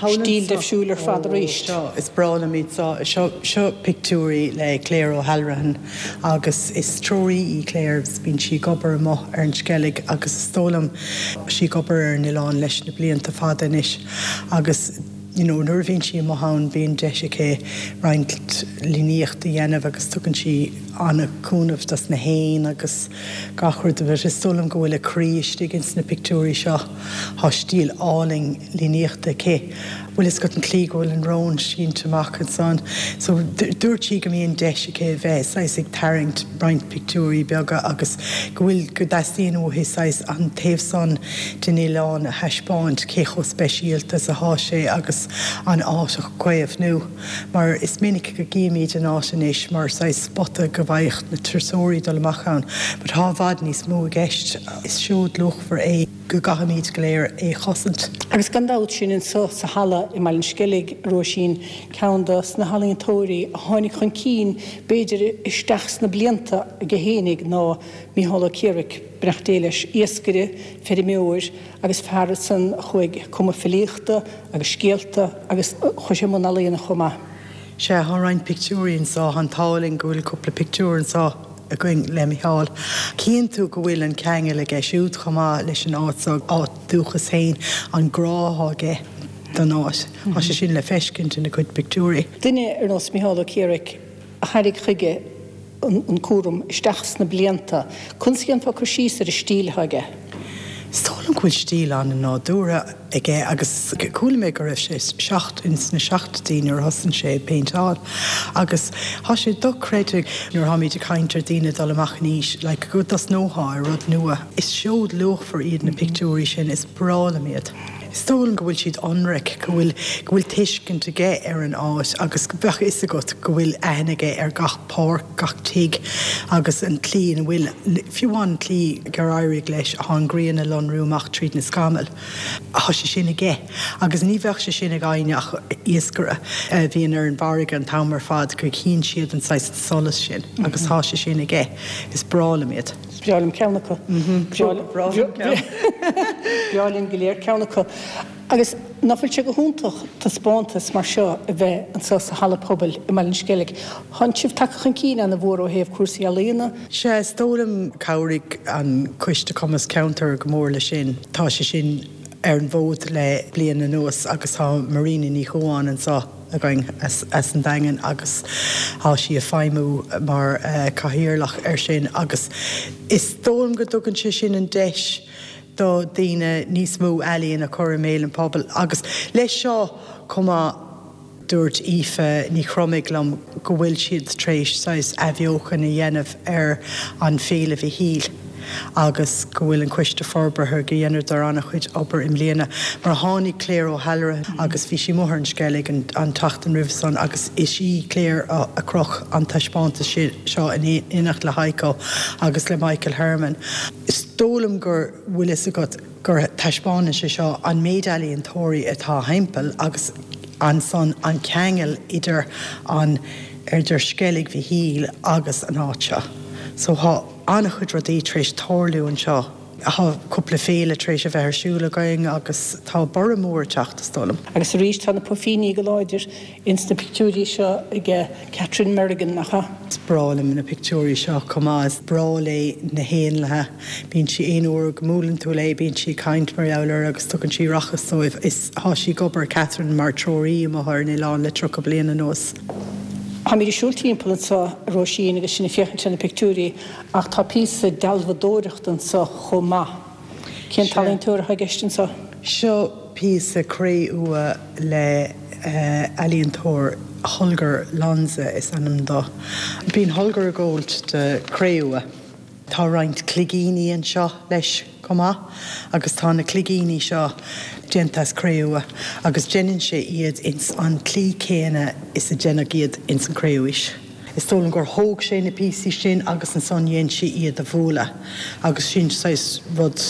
[SPEAKER 1] stíl deifriúil ar fad arís.
[SPEAKER 7] Seo, is breá liom iad seo. Seo, seo pictiúirí le Claire O'Halloran agus is treoraí í Claire agus bíonn sí ag obair amuigh ar an Sceilg agus is dóigh liom, sí ag obair ar an oileán leis na blianta fada anois agus you know nuair a bhíonn sí amuigh ann bíonn deis aici roinnt líníocht a dhéanamh agus tugann sí an-chúnamh dos na héin agus gach rud but is dóigh liom go bhfuil a croí istigh ins na pictiúirí seo. Tá stíl álainn líníochta aici. Bhfuil fhios agat an tslí go bhfuil an rón sínte amach ansan. So dúirt sí go mbíonn deis aici a bheith saghas ag tarraingt roinnt pictiúirí beaga agus go bhfuil, go dteastaíonn uaithi saghas an taobh san den oileán a thaispeáint, cé chomh speisialta is athá sé agus an áit a chaomhnú. Mar is minic go gcímid an áit anois mar saghas spota go bhfaigheadh na turasóirí dul amach ann but tá i bhfad níos mó i gceist. Is seod luachmhar é. go gcaithfimid go léir é chosaint.
[SPEAKER 1] Agus gan dabht sin anso sa halla i mBaile an Sceilg, a Róisín, ceann dos na healaíontóirí a tháinig chun cinn b'fhéidir isteach sna blianta aige fhéinig ná Mícheál Ó Ciaraic, beannacht Dé leis, iascaire, feirmeoir agus fear ansan a chuaigh ag cumadh filíochta agus scéalta agus chuaigh sé i mbun ealaíona chomh maith.
[SPEAKER 7] Sea, tá roinnt pictiúirí anso, tá an t-ádh linn go bhfuil cúpla pictiúr anso againn le Micheál. Cíonn tú go bhfuil an ceangal aige siúd chomh maith leis an áit seo, áit dúchas féin, an grá atá aige don áit. Tá sé sin le feiscint ina chuid pictiúirí.
[SPEAKER 1] Duine ar nós Micheál Ó Ciaraic a thairrig chuige an cúram isteach sna blianta. Conas a dhéanfá cur síos ar an stíl atá aige?
[SPEAKER 7] Is dóigh liom go bhfuil stíl an-nádúrtha aige agus chuala mé go raibh sé seacht ins na seachtóidí nuair a thosaigh sé ag péinteáil agus tá sé dochreidte nuair atáimid ag caint ar daoine dul amach in aois like go dtosnófá ar rud nua. Is seod luachmhar iad na pictiúirí sin, is breá liom iad. Is dóigh liom go bhfuil siad ionraic, go bhfuil go bhfuil tuiscint aige ar an áit agus bheadh fhios agat go bhfuil aithne aige ar gach páirc, gach tigh agus an tslí ina bhfuil, fiú amháin an tslí gur éirigh leis an ghrian a lonrú amach tríd na scamaill. Tá sé sin aige agus ní bheadh sé sin ag éinne ach iascaire a bhíonn ar an bhfarraige an t-am ar fad go gcíonn siad an saghas solas sin agus tá sé sin aige. Is breá liom iad.
[SPEAKER 1] Is breá liom ceann acu. Breá linn go léir ceann acu. Agus nach bhfuil sé go hiontach taispeántas mar seo a bheith anseo sa Halla Pobail i mBaile an Sceilg. Tánn sibh tagtha chun cinn ana-mhór ó thaobh cúrsaí ealaíona.
[SPEAKER 7] Sea, is dóigh liom chabhraigh an Coiste Cumas Ceantair go mór leis sin. Tá sé sin ar an bhfód le bliain anuas agus tá Marina Ní Chuáin anseo againn as as an Daingean agus tá sí ag feidhmiú mar cathaoirleach air sin agus is dóigh liom go dtugann sé sin an deis do daoine níos mó ealaíon a chur i mbéal an phobail agus leis seo chomh maith dúirt Aoife Ní Chromaigh liom go bhfuil siad tar éis saghas athbheochan a dhéanamh ar an Féile Mhichíl agus go bhfuil an Coiste Forbartha go dheineadar an-chuid obair i mbliana mar tháinig Claire O'Halloran agus bhí sí amuigh ar an Sceilg an an tseachtain roimhe san agus is í Claire a a chroch an taispeántas seo in éineacht le Heiko agus le Michael Herman. Is dóigh liom gur bhfuil fhios agat gur taispeánann sé seo an méid ealaíontóirí atá thimpeall agus ansan an ceangal idir an idir Sceilg Mhichíl agus an áit seo. So thá an-chuid rudaí tar éis tarlú anseo. Thá cúpla féile tar éis a bheith ar siúl againn agus tá borradh mór ag teacht, is dóigh liom.
[SPEAKER 1] Agus arís tá na puifíní go láidir ins na pictiúirí seo ag Catherine Merrigan, nach ea?
[SPEAKER 7] Is breá liom na pictiúirí seo chomh maith. Is breá léi na héanlaithe. Bíonn sí, aon uair go mbuaileann tú léi, bíonn sí ag caint mar gheall air agus tugann sí rachas dóibh. Is thá sí ag obair, Catherine, mar treoraí amuigh ar an oileán le tríocha bliain anuas.
[SPEAKER 1] Táimid ag siúl timpeall anseo, a Róisín, agus sinn ag féachaint ar na pictiúirí, ach tá píosa dealbhadóireachta anseo chomh maith. Cén t-ealaíontóir atá i gceist anseo?
[SPEAKER 7] Seo píosa cré-umha le ealaíontóir, Holger Lonza is ainm dó. Bíonn Holger ag gabháilt do cré-umha. Tá roinnt cloigíní anseo leis chomh maith agus tá na cloigíní seo déanta as cré-umha agus déanann sé iad ins an tslí céanna is a deineadh iad ins an cré-umhaois. Is dóigh liom gur thóg sé na píosaí sin agus ansan dhein sé iad a bhualadh agus sin saghas rud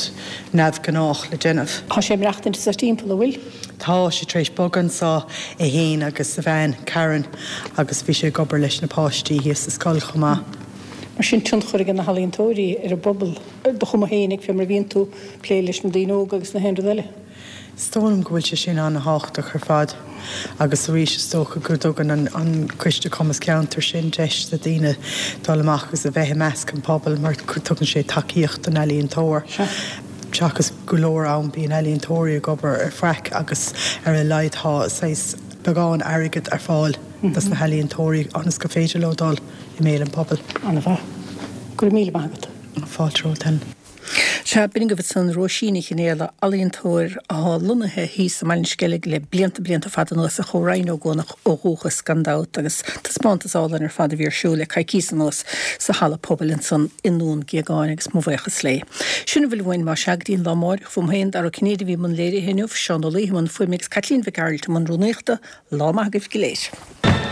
[SPEAKER 7] neamhghnách le déanamh.
[SPEAKER 1] Tá sé ag maireachtaint anseo timpeall, an bhfuil?
[SPEAKER 7] Tá sé tar éis bogadh anseo, é fhéin agus a bhean, Karen, agus bhí sé ag obair leis na páistí thíos sa scoil chomh maith.
[SPEAKER 1] Mar sin, tionchar ag na healaíontóirí ar an bpobal, ar do chuma féinig, fé mar a bhíonn tú ag plé leis na daoine óga agus na haon rud eile.
[SPEAKER 7] Is dóigh liom go bhfuil sé sin an-thábhachtach ar fad agus arís is dócha go dtugann an Coiste Cumas Ceantair sin deis do daoine dul amach agus a bheith i measc an phobail mar tugann sé tacaíocht don ealaíontóir. Seachas go leor am bíonn ealaíontóirí ag obair ar faic agus ar a laghad tá saghas beagán airgid ar fáil dos na healaíontóirí ionas gur féidir leo dul i mbéal an phobail.
[SPEAKER 1] An-mhaith. Go raibh míle maith agat.
[SPEAKER 7] Fáilte romhat, Helen.
[SPEAKER 1] Sea, b'in agaibh ansan Róisín Ní Chinéala, ealaíontóir athá lonnaithe thíos i mBaile an Sceilg le blianta blianta fada anuas ach ó Rinn Ó gCuanach ó dhúchas gan dabht agus taispeántas álainn ar fad a bhí ar siúl le coicíos anuas sa halla pobail ansan i nDún Géagáin agus mo bhuíochas léi. Sin a bhfuil uainn más ea go dtí an lá amáireach Uaim féin, Dara Ó Cinnéide a bhí i mbun léirithe inniu, Seán Ó Laoithe i mbun fuaime agus Caitlín Mhic Gearailt i mbun rúnaíochta. Lá maith agaibh go léir.